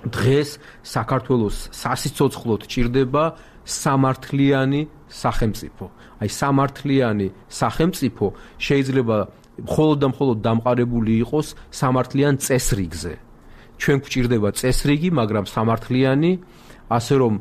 დღეს საქართველოს სასიცოცხლოდ ჭირდება სამართლიანი სახელმწიფო. აი სამართლიანი სახელმწიფო შეიძლება მხოლოდ და მხოლოდ დამყარებული იყოს სამართლიან წესრიგზე. ჩვენ გვჭირდება წესრიგი, მაგრამ სამართლიანი, ასე რომ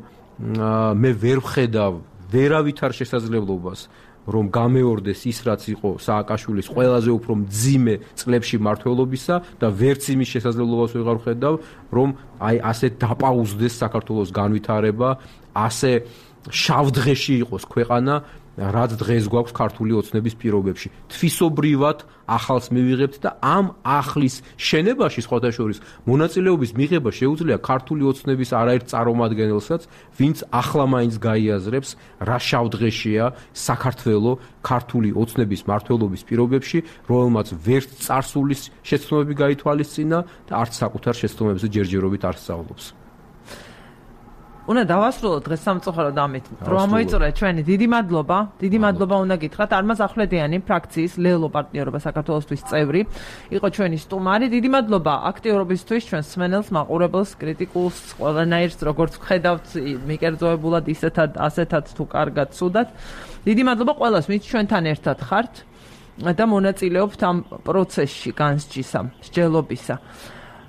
მე ვერ ვხედავ ვერავითარ შესაძლებლობას რომ გამეორდეს ის რაც იყო სააკაშვილის ყველაზე უფრო მძიმე წლებში მმართველობისა და ვერც იმის შესაძლებლობას ვეღარ ვხედავ რომ აი ასე დაპაუზდეს საქართველოს განვითარება, ასე შავდღეში იყოს ქვეყანა, რაც დღეს გვაქვს ქართული ოცნების პირობებში. თვისობრივად ახალს მივიღებთ და ამ ახლის შენებაში სხვათა შორის მონაწილეობის მიღება შეუძლია ქართული ოცნების არაერთ წარმომადგენელსაც, ვინც ახლა მაინც გაიაზრებს, რა შავდღეშია საქართველო ქართული ოცნების მმართველობის პირობებში, რომელმაც ვერც წარსულის შეცდომები გაითვალისწინა და არც საკუთარ შეცდომებზე ჯერჯერობით არ სწავლობს. უნდა დავასრულოთ დღეს სამწუხაროდ ამით. რომ ამოიწურა ჩვენი დიდი მადლობა უნდა გითხრათ არმაზ ახვლედიანი ფრაქციის ლელო პარტნიორობა საქართველოსთვის წევრი იყო ჩვენი სტუმარი. დიდი მადლობა აქტიურობისთვის ჩვენს მსმენელს, მაყურებელს, კრიტიკულს, ყველანაირს როგორც ვხედავთ მიკერძოებულად ასეთად თუ კარგად ცუდად. დიდი მადლობა ყველას, ვინც ჩვენთან ერთად ხართ და მონაწილეობთ ამ პროცესში განსჯისა, მსჯელობისა.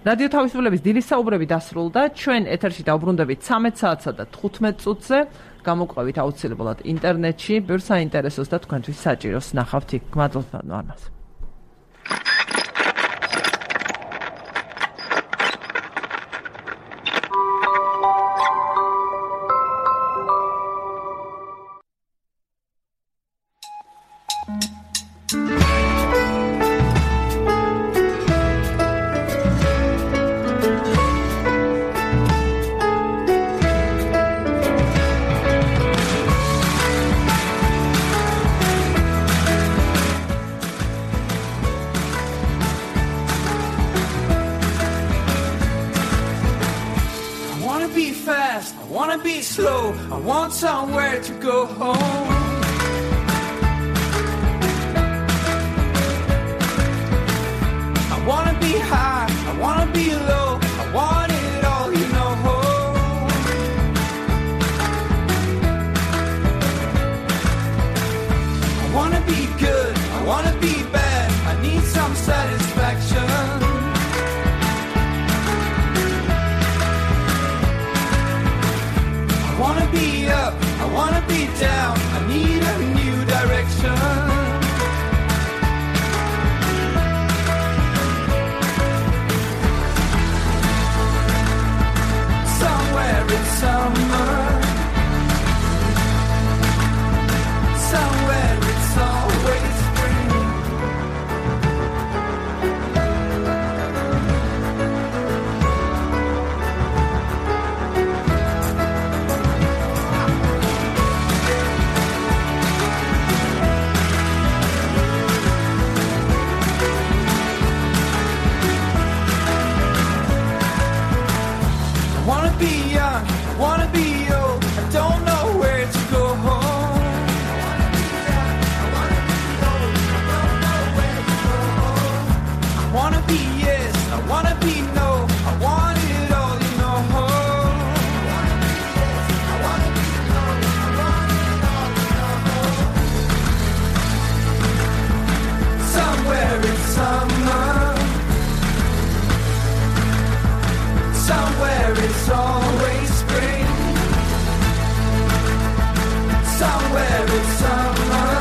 რადიო თავისუფლების დილის საუბრები დასრულდა. ჩვენ ეთერში დავბრუნდებით 13 საათსა და 15 წუთზე. გამოგვყევით აუცილებლად ინტერნეტში, ბევრ საინტერესოს და თქვენთვის საჭიროს ნახავთ იქ. მადლობა არმაზ. Somewhere to go home. I wanna be high, I wanna be low, I want it all, you know. I wanna be good, I wanna be bad, I need some satisfaction. I wanna be up, I wanna be down, I need a new direction. Somewhere in summer, somewhere it's always spring. I wanna be young, I wanna be old, I don't know where to go home. I wanna be yes, I wanna be no, I want it all, you know. Somewhere in summer, somewhere it's always spring. Somewhere it's summer,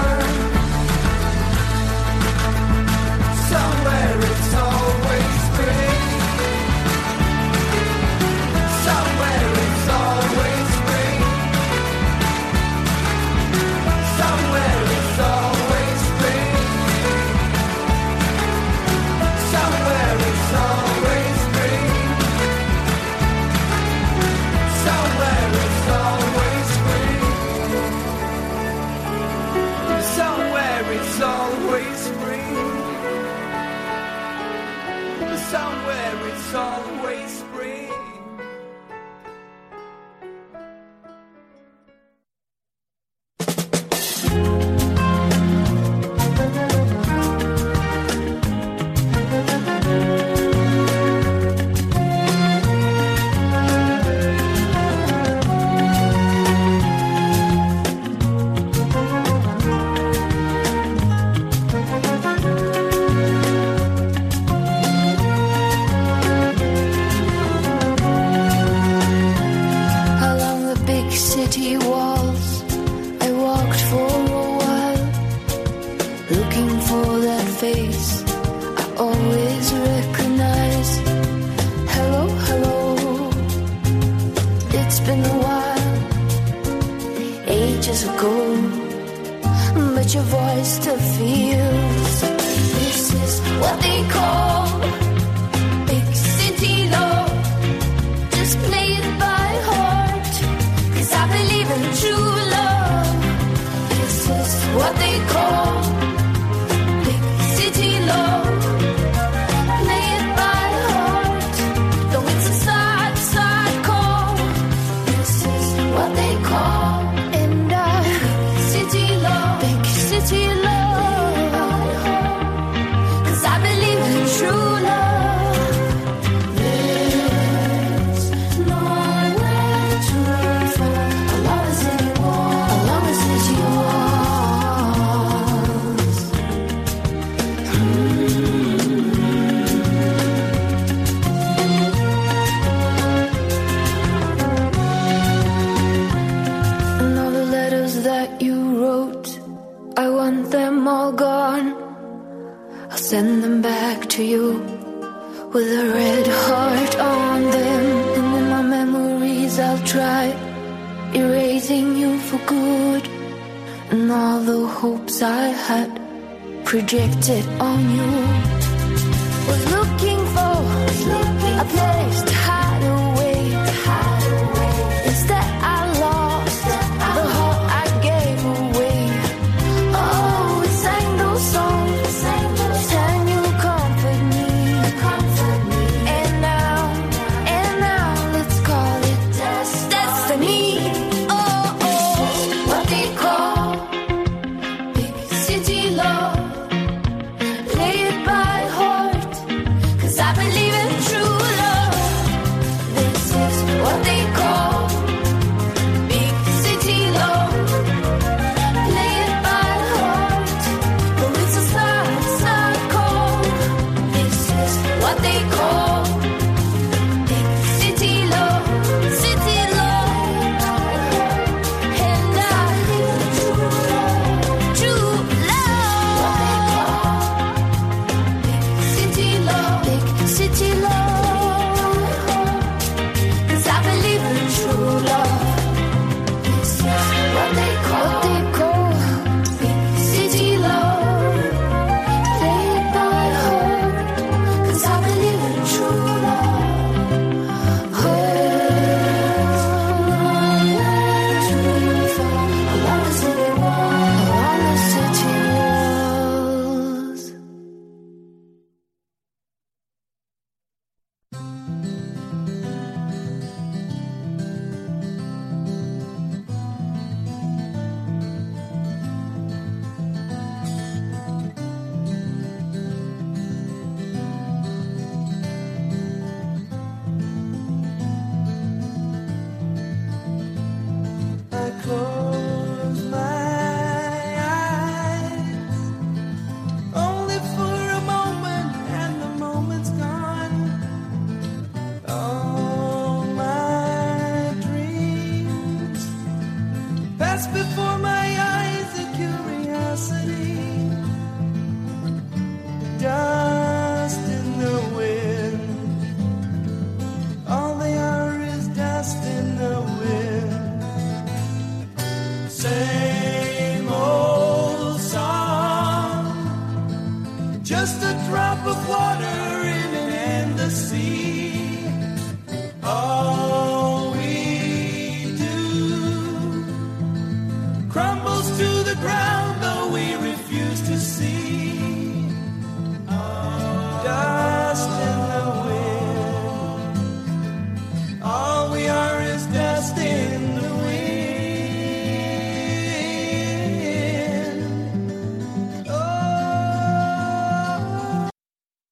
somewhere it's always somewhere it's always spring. Send them back to you with a red heart on them. And in my memories I'll try erasing you for good. And all the hopes I had projected on you. Was looking for a place to hide away. Instead I lost the heart I gave away. Oh, we sang those songs. Just a drop of water in an endless sea.